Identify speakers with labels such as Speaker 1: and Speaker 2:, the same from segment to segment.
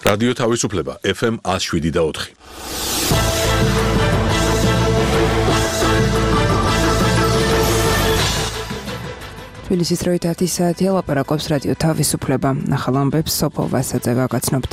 Speaker 1: რადიო თავისუფლება FM 107.4.
Speaker 2: თბილისის დროით 10 საათია, ლაპარაკობს რადიო თავისუფლება. ახალ ამბებს სოფო ვასაძე გაგაცნობთ.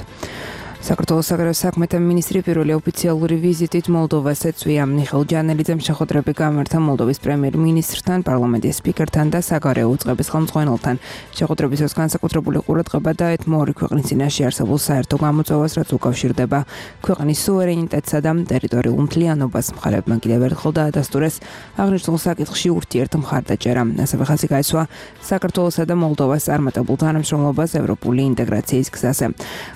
Speaker 2: საქართველოს საგარეო საქმეთა მინისტრი პირველი ოფიციალური ვიზიტით მოლდოვას ეწვია. მიხეილ ჯანელიძემ შეხვედრები გამართა მოლდოვის პრემიერ-მინისტრთან, პარლამენტის სპიკერთან და საგარეო უწყების ხელმძღვანელთან. შეხვედრების დროს განსაკუთრებული ყურადღება დაეთმო ორი ქვეყნის წინაშე არსებულ საერთო გამოწვევას, რაც უკავშირდება ქვეყნის სუვერენიტეტსა და ტერიტორიულ მთლიანობას. მხარებმა კიდევ ერთხელ დაადასტურეს აღნიშნულ საკითხში ურთიერთ მხარდაჭერა. ასევე ხაზი გაესვა საქართველოსა და მოლდოვას წარმატებულ თანამშრომლობას ევროპული ინტეგრაციის გზაზე.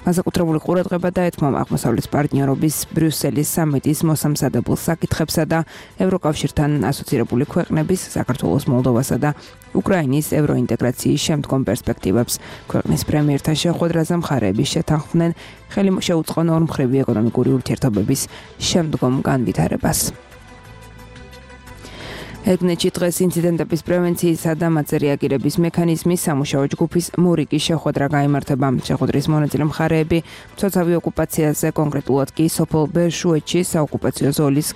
Speaker 2: განსაკუთრებული ყურადღება დაეთმო აღმოსავლეთის პარტნიორობის ბრიუსელის სამიტის მოსამზადებელ საკითხებსა და ევროკავშირთან ასოცირებული ქვეყნების საქართველოს, მოლდოვასა და უკრაინის ევროინტეგრაციის შემდგომ პერსპექტივებს. ქვეყნის პრემიერთან შეხვედრაზე მხარეები შეთანხმდნენ ხელი შეუწყონ ორმხრივი ეკონომიკური ურთიერთობების შემდგომ განვითარებას. ეგნეთში დღეს ინციდენტების პრევენციისა და მათზე რეაგირების მექანიზმის სამუშაო ჯგუფის მორიგის შეხვედრა გაიმართება. შეხვედრის მონაწილე მხარეები მცოცავი ოკუპაციაზე, კონკრეტულად კი სოფელ ბერშუეთში საოკუპაციო ზოლის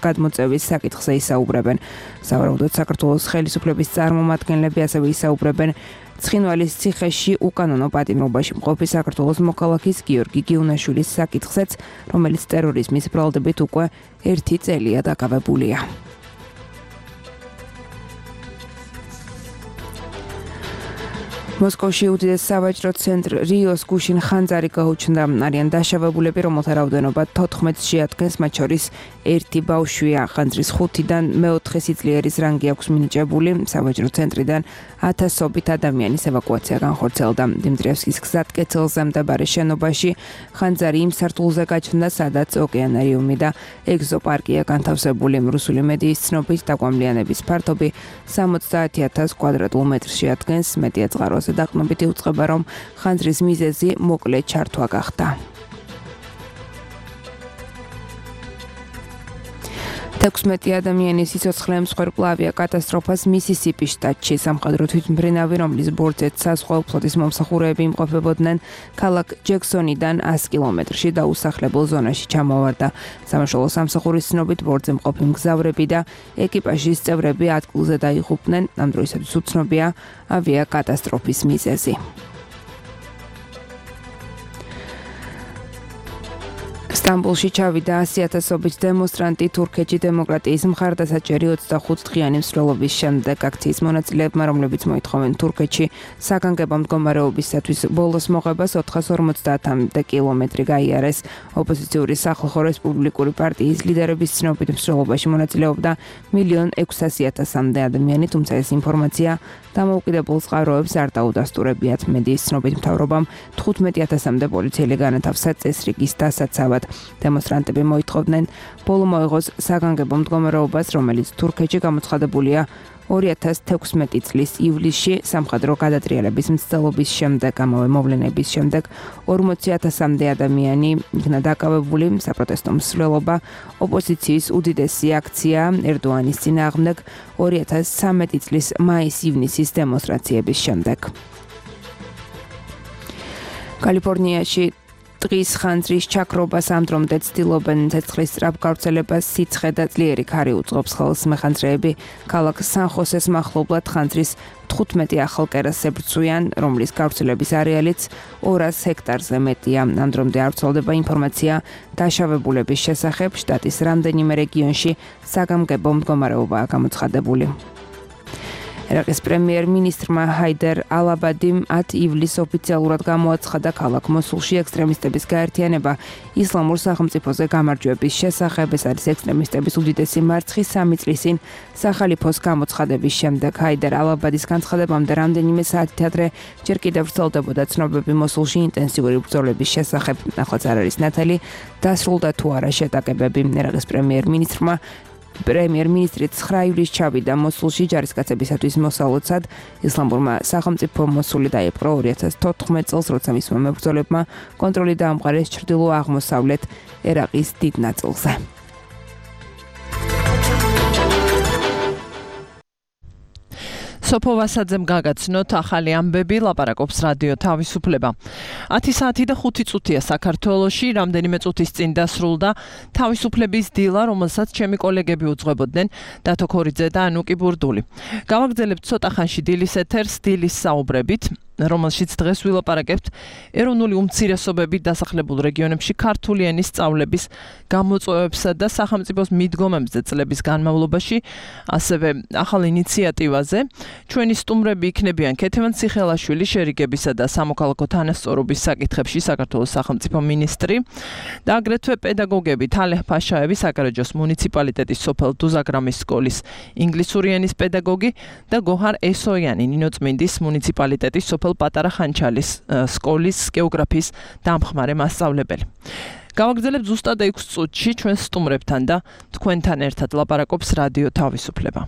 Speaker 2: გადმოწევის საკითხზე ისაუბრებენ. სავარაუდოდ საქართველოს ხელისუფლების წარმომადგენლები ასევე ისაუბრებენ ცხინვალის ციხეში უკანონო პატიმრობაში მყოფი საქართველოს მოქალაქის გიორგი გიუნაშვილის საკითხზეც, რომელიც ტერორიზმის ბრალდებით უკვე 1 წელია დაკავებულია. მოსკოვში უდიდეს სავაჭრო ცენტრ რიოს გუშინ ხანძარი გაუჩნდა. არიან დაშავებულები, რომელთა რაოდენობა 14-ს შეადგენს, მათ შორის 1 ბავშვია. ხანძრის 5-დან მე-4 სიძლიერის რანგი აქვს მინიჭებული. სავაჭრო ცენტრიდან 1000-ობით ადამიანის ევაკუაცია განხორციელდა. დიმიტრიევსკის გზატკეცილზე მდებარე შენობაში ხანძარი იმ სართულზე გაჩნდა, სადაც ოკეანარიუმი და ეგზოპარკია განთავსებული. რუსული მედიის ცნობით დაკვამლიანების ფართობი 70,000 კვადრატულ მეტრს შეადგენს. მეტია წყაროს დაყრდნობით იუწყება, რომ ხანძრის მიზეზი მოკლე ჩართვა გახდა. 16 ადამიანის სიცოცხლე მსხვერპლავია კატასტროფას მისისიპის შტატში. სამხედრო თვითმფრინავი, რომლის ბორცვით საზღვაო ფლოტის მომსახურეები იმყოფებოდნენ, ქალაქ ჯექსონიდან 100 კილომეტრში დაუსახლებელ ზონაში ჩამოვარდა. სამაშველო სამსახურის ცნობით, ბორცვზე მყოფი მგზავრები და ეკიპაჟის წევრები ადგილზე დაიღუპნენ. ამ დროისათვის უცნობია ავიაკატასტროფის მიზეზი. სტამბოლში ჩავიდა 100,000-ობით დემონსტრანტი თურქეთში დემოკრატიის მხარდასაჭერი 25 დღიანი მსვლელობის შემდეგ. აქციის მონაწილეებმა, რომლებიც მოითხოვენ თურქეთში საგანგებო მდგომარეობისათვის ბოლოს მოღებას 450 კილომეტრი გაიარეს. ოპოზიციური სახალხო რესპუბლიკური პარტიის ლიდერების ცნობით მსვლელობაში მონაწილეობდა 1,600,000-მდე ადამიანი, თუმცა ეს ინფორმაცია დამოუკიდებელ წყაროებს არ დაუდასტურებიათ. მედიის ცნობით მთავრობამ 15,000-მდე პოლიციელი განათავსა წესრიგის დასაცავად. დემონსტრანტები მოითხოვდნენ ბოლო მოეღოს საგანგებო მდგომარეობას, რომელიც თურქეთში გამოცხადებულია 2016 წლის ივლისში სამხედრო გადატრიალების მცდელობის შემდეგ. ამავე მოვლენების შემდეგ 40,000-მდე ადამიანი იქნა დაკავებული. საპროტესტო მსვლელობა ოპოზიციის უდიდესი აქცია ერდოანის წინააღმდეგ 2013 წლის მაის-ივნისის დემონსტრაციების შემდეგ. კალიფორნიაში დღის ხანძრის ჩაქრობას ამდრომდე ცდილობენ. ცეცხლის სწრაფ გავრცელებას სიცხე და ძლიერი ქარი უწყობს ხელს. მეხანძრეები ქალაქ სან-ხოსეს მახლობლად ხანძრის 15 ახალ კერას ებრძვიან, რომლის გავრცელების არეალიც 200 ჰექტარზე მეტია. ამდრომდე არ ვრცელდება ინფორმაცია დაშავებულების შესახებ. შტატის რამდენიმე რეგიონში საგანგებო მდგომარეობაა გამოცხადებული. ერაყის პრემიერ-მინისტრმა ჰაიდერ ალ-აბადიმ 10 ივლისს ოფიციალურად გამოაცხადა ქალაქ მოსულში ექსტრემისტების გაერთიანება ისლამურ სახელმწიფოზე გამარჯვების შესახებ. ეს არის ექსტრემისტების უდიდესი მარცხი 3 წლის წინ სახალიფოს გამოცხადების შემდეგ. ჰაიდერ ალ-აბადის განცხადებამდე რამდენიმე საათით ადრე ჯერ კიდევ ვრცელდებოდა ცნობები მოსულში ინტენსიური ბრძოლების შესახებ. ახლაც არ არის ნათელი, დასრულდა თუ არა შეტაკებები. ერაყის პრემიერ-მინისტრი 9 ივლისს ჩავიდა მოსულში ჯარისკაცებისათვის მოსალოცად. ისლამურმა სახელმწიფო მოსული დაიპყრო 2014 წელს, როცა მისმა მებრძოლებმა კონტროლი დაამყარეს ჩრდილო-აღმოსავლეთ ერაყის დიდ ნაწილზე.
Speaker 3: სოფო ვასაძემ გაგაცნოთ ახალი ამბები, ლაპარაკობს რადიო თავისუფლება. 10 საათი და 5 წუთია საქართველოში, რამდენიმე წუთის წინ დასრულდა თავისუფლების დილა, რომელსაც ჩემი კოლეგები უძღვებოდნენ, დათო ქორიძე და ანუკი ბურდული. გავაგრძელებთ ცოტა ხანში დილის ეთერს, დილის საუბრებით, რომელშიც დღეს ვილაპარაკებთ ეროვნული უმცირესობებით დასახლებულ რეგიონებში ქართული ენის სწავლების გამოწვევებსა და სახელმწიფოს მიდგომებზე წლების განმავლობაში, ასევე ახალ ინიციატივაზე. ჩვენი სტუმრები იქნებიან ქეთევან ციხელაშვილი, შერიგებისა და სამოქალაქო თანასწორობის საკითხებში საქართველოს სახელმწიფო მინისტრი და აგრეთვე პედაგოგები თალეჰ ფაშაევი, საკარაჯოს მუნიციპალიტეტის სოფელ დუზაგრამის სკოლის ინგლისური ენის პედაგოგი და გოჰარ ესოიანი, ნინოწმინდის მუნიციპალიტეტის სოფელ პატარა ხანჩალის სკოლის გეოგრაფიის დამხმარე მასწავლებელი. გავაგრძელებთ ზუსტად 6 წუთში ჩვენ სტუმრებთან და თქვენთან ერთად ლაპარაკობს რადიო თავისუფლება.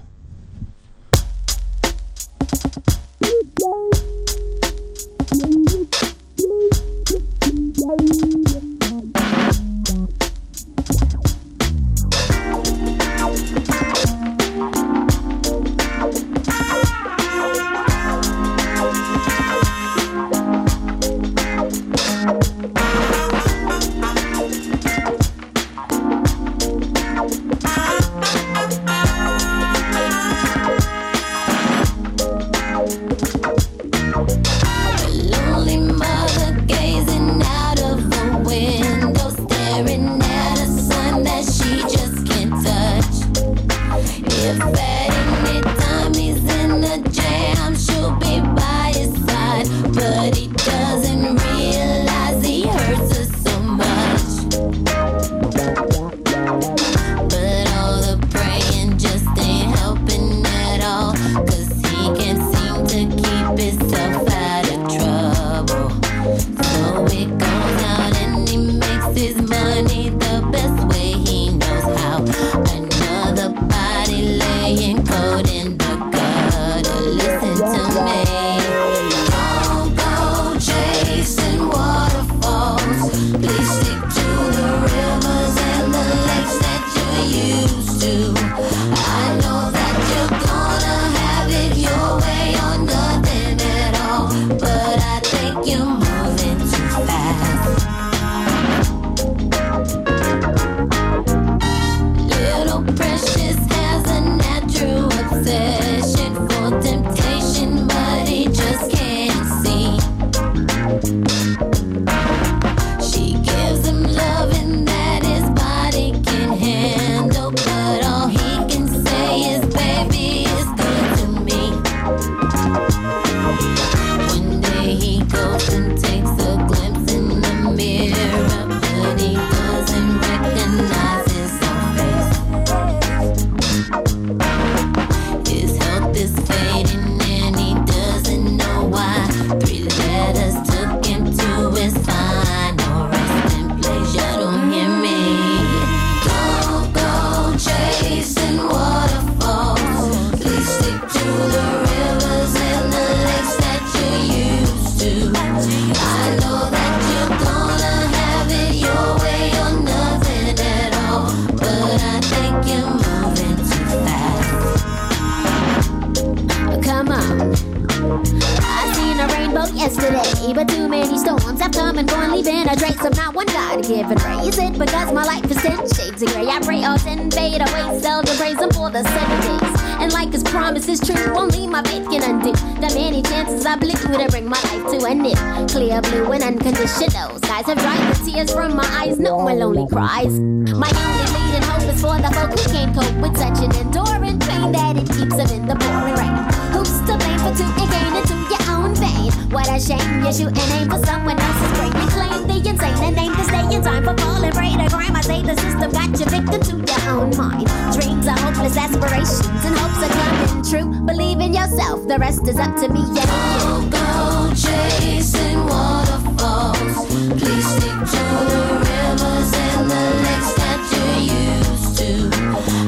Speaker 4: Cries. My only leading hope is for the folk who can't cope with such an enduring pain that it keeps them in the pouring rain. Who's to blame for tooting gain into your own vein? What a shame you shoot and aim for someone else's brain. You claim the insane and aim to stay in time for falling prey to crime. I say the system got you victim to your own mind. Dreams are hopeless aspirations and hopes are coming true. Believe in yourself, the rest is up to me and you. Go chasing waterfalls. Please stick to the rivers and the lakes that you're used to.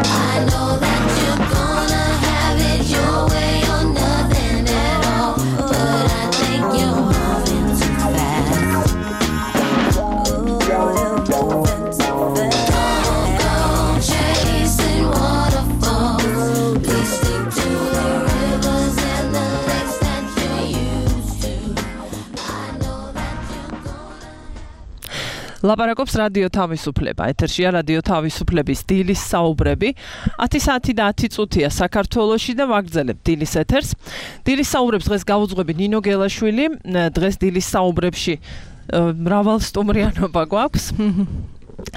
Speaker 4: I know that you're gonna have it your way or nothing at all, but I think you're moving too fast. Don't go chasing waterfalls. Please stick to the rivers and
Speaker 3: ლაპარაკობს რადიო თავისუფლება. ეთერშია რადიო თავისუფლების დილის საუბრები. 10 საათი და 10 წუთია საქართველოში და ვაგრძელებთ დილის ეთერს. დილის საუბრებს დღეს გავუძღვები ნინო გელაშვილი. დღეს დილის საუბრებში მრავალსტუმრიანობა გვაქვს.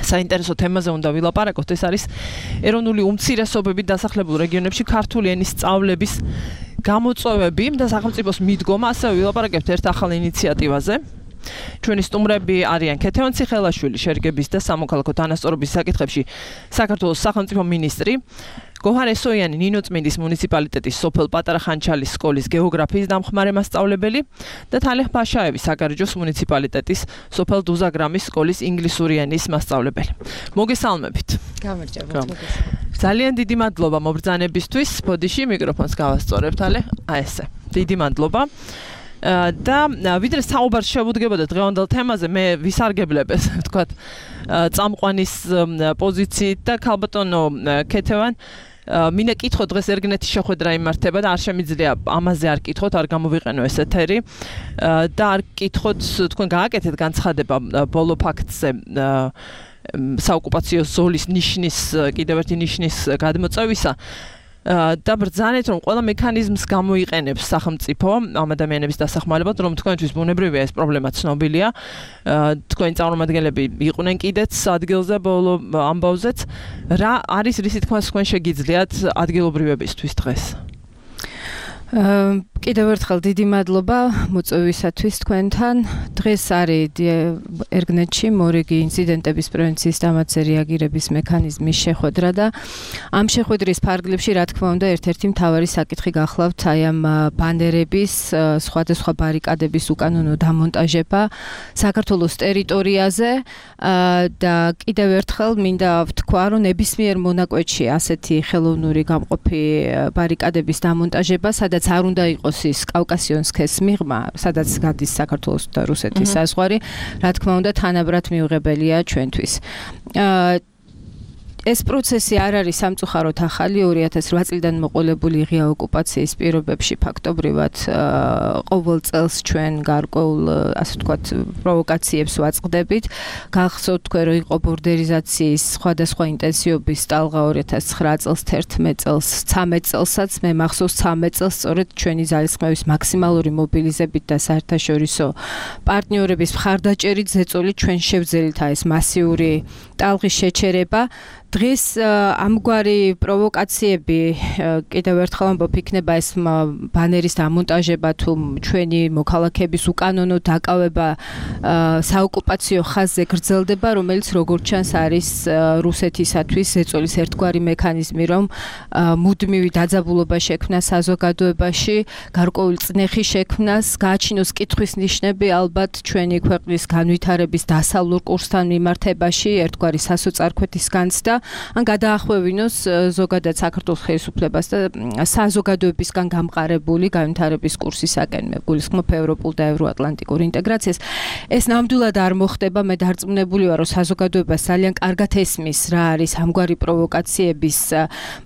Speaker 3: საინტერესო თემაზე უნდა ვილაპარაკოთ. ეს არის ეროვნული უმცირესობებით დასახლებულ რეგიონებში ქართული ენის სწავლების გამოწვევები და სახელმწიფოს მიდგომა. ასევე ვილაპარაკებთ ერთ ახალ ინიციატივაზე. ჩვენი სტუმრები არიან ქეთევან ციხელაშვილი, შერგების და სამოქალაქო თანასწორობის საკითხებში საქართველოს სახელმწიფო მინისტრი, გოჰარ ესოიანი, ნინოწმინდის მუნიციპალიტეტის სოფელ პატარა ხანჩალის სკოლის გეოგრაფიის დამხმარე მასწავლებელი და თალეხ ფაშაევი, საგარეჯოს მუნიციპალიტეტის სოფელ დუზაგრამის სკოლის ინგლისური ენის მასწავლებელი. მოგესალმებით.
Speaker 2: გამარჯობა.
Speaker 3: ძალიან დიდი მადლობა მობრძანებისთვის. ბოდიში მიკროფონს გავასწორებ თალე. ესე. დიდი მადლობა. და ვიდრე საუბარს შევუდგებოდა დღევანდელ თემაზე, მე ვისარგებლებ ეს ვთქვათ წამყვანის პოზიციით და ქალბატონო ქეთევან მინდა კითხო დღეს ერგნეთის შეხვედრა იმართება და არ შემიძლია ამაზე არ კითხოთ, არ გამოვიყენო ეს ეთერი და არ კითხოთ თქვენ გააკეთეთ განცხადება ბოლო ფაქტზე საოკუპაციო ზოლის ნიშნის კიდევ ერთი ნიშნის გადმოწევისა და ბრძანეთ რომ ყველა მექანიზმს გამოიყენებს სახელმწიფო ამ ადამიანების დასახმარებლად, რომ თქვენთვის ბუნებრივია ეს პრობლემა ცნობილია. თქვენი წარმომადგენლები იყვნენ კიდეც ადგილზე ბოლო ამბავზეც. რა არის რისი თქმას თქვენ შეგიძლიათ ადგილობრივებისთვის დღეს? კიდევ ერთხელ დიდი მადლობა მოწვევისათვის თქვენთან. დღეს არის ერგნეთში მორიგი ინციდენტების პრევენციის დამატზე რეაგირების მექანიზმის შეხვედრა და ამ შეხვედრის ფარგლებში რა თქმა უნდა ერთ-ერთი მთავარი საკითხი გახლავთ აი ამ ბანერების, სხვადასხვა ბარიკადების უკანონო დამონტაჟება საქართველოს ტერიტორიაზე და კიდევ ერთხელ მინდა ვთქვა, რომ ნებისმიერ მონაკვეთში ასეთი ხელოვნური გამყოფი ბარიკადების დამონტაჟება, სადაც არ უნდა იყოს ის კავკასიონსკეს მიღმა, სადაც გადის საქართველოს და რუსეთის საზღვარი, რა თქმა უნდა თანაბრად მიუღებელია ჩვენთვის. ეს პროცესი არ არის სამწუხაროდ ახალი, 2008 წლიდან მოყოლებული ღია ოკუპაციის პირობებში ფაქტობრივად ყოველ წელს ჩვენ გარკვეულ ასე ვთქვათ პროვოკაციებს ვაწყდებით. გახსოვთ თქვენ რომ იყო ბორდერიზაციის სხვადასხვა ინტენსივობის ტალღა 2009 წელს, 11 წელს, 13 წელსაც, მე მახსოვს 13 წელს სწორედ ჩვენი ძალისხმევის მაქსიმალური მობილიზებით და საერთაშორისო პარტნიორების მხარდაჭერით ზეწოლით ჩვენ შევძელით ეს მასიური ტალღის შეჩერება. დღეს ამგვარი პროვოკაციები კიდევ ერთხელ ამბობ იქნება ეს ბანერის დამონტაჟება თუ ჩვენი მოქალაქეების უკანონო დაკავება საოკუპაციო ხაზზე გრძელდება, რომელიც როგორც ჩანს არის რუსეთისათვის ზეწოლის ერთგვარი მექანიზმი, რომ მუდმივი დაძაბულობა შექმნა საზოგადოებაში, გარკვეული წნეხი შექმნას, გააჩინოს კითხვის ნიშნები ალბათ ჩვენი ქვეყნის განვითარების დასავლურ კურსთან მიმართებაში, ერთგვარი სასოწარკვეთის განცდა ან გადაახვევინოს ზოგადად საქართველოს ხელისუფლებას და საზოგადოებისგან გამყარებული განვითარების კურსისაკენ, მე გულისხმობ ევროპულ და ევროატლანტიკურ ინტეგრაციას. ეს ნამდვილად არ მოხდება, მე დარწმუნებული ვარ, რომ საზოგადოებას ძალიან კარგად ესმის რა არის ამგვარი პროვოკაციების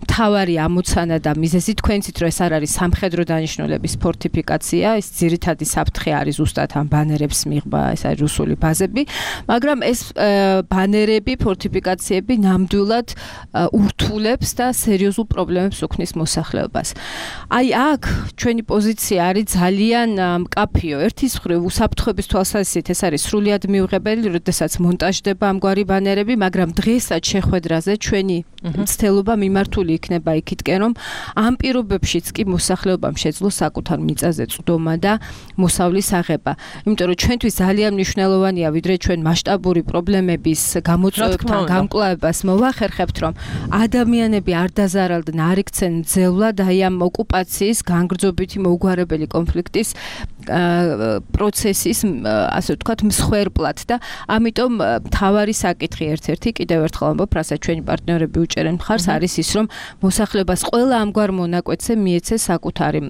Speaker 3: მთავარი ამოცანა და მიზეზი. თქვენცით რომ ეს არ არის სამხედრო დანიშნულების ფორტიფიკაცია, ეს ძირითადი საფრთხე არის ზუსტად ამ ბანერებს მიღება, ეს არის რუსული ბაზები, მაგრამ ეს ბანერები, ფორტიფიკაციები ნამდვილად ურთულებს და სერიოზულ პრობლემებს უქმნის მოსახლეობას. აი აქ ჩვენი პოზიცია არის ძალიან მკაფიო. ერთის მხრივ უსაფრთხოების თვალსაზრისით ეს არის სრულიად მიუღებელი, როდესაც მონტაჟდება ამგვარი ბანერები, მაგრამ დღესაც შეხვედრაზე ჩვენი მცდელობა მიმართული იქნება იქითკენ, რომ ამ პირობებშიც კი მოსახლეობამ შეძლოს საკუთარ მიწაზე წვდომა და მოსავლის აღება. იმიტომ რომ ჩვენთვის ძალიან მნიშვნელოვანია, ვიდრე ჩვენ მასშტაბური პრობლემების გამოწვევებთან გამკლავებას მოვახერხებთ, რომ ადამიანები არ დაზარალდნენ, არ იქცენ ძევლად აი ამ ოკუპაციის განგრძობითი მოუგვარებელი კონფლიქტის პროცესის ასე ვთქვათ მსხვერპლად და ამიტომ მთავარი საკითხი ერთ-ერთი კიდევ ერთხელ ამბობ, რასაც ჩვენი პარტნიორები უჭერენ მხარს, არის ის, რომ მოსახლეობას ყველა ამგვარ მონაკვეთზე მიეცეს საკუთარი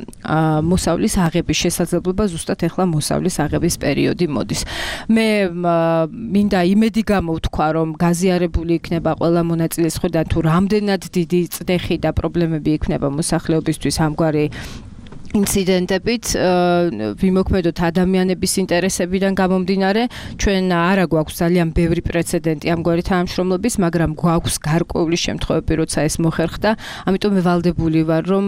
Speaker 3: მოსავლის აღების შესაძლებლობა, ზუსტად ეხლა მოსავლის აღების პერიოდი მოდის. მე მინდა იმედი გამოვთქვა, რომ გაზიარებული იქნება ყველა მონაწილეს მხრიდან თუ რამდენად დიდი წნეხი და პრობლემები იქნება მოსახლეობისთვის ამგვარი
Speaker 5: ინციდენტებით ვიმოქმედოთ ადამიანების ინტერესებიდან გამომდინარე ჩვენ არა გვაქვს ძალიან ბევრი პრეცედენტი ამგვარი თანამშრომლობის მაგრამ გვაქვს გარკვეული შემთხვევები როცა ეს მოხერხდა ამიტომ მე ვალდებული ვარ რომ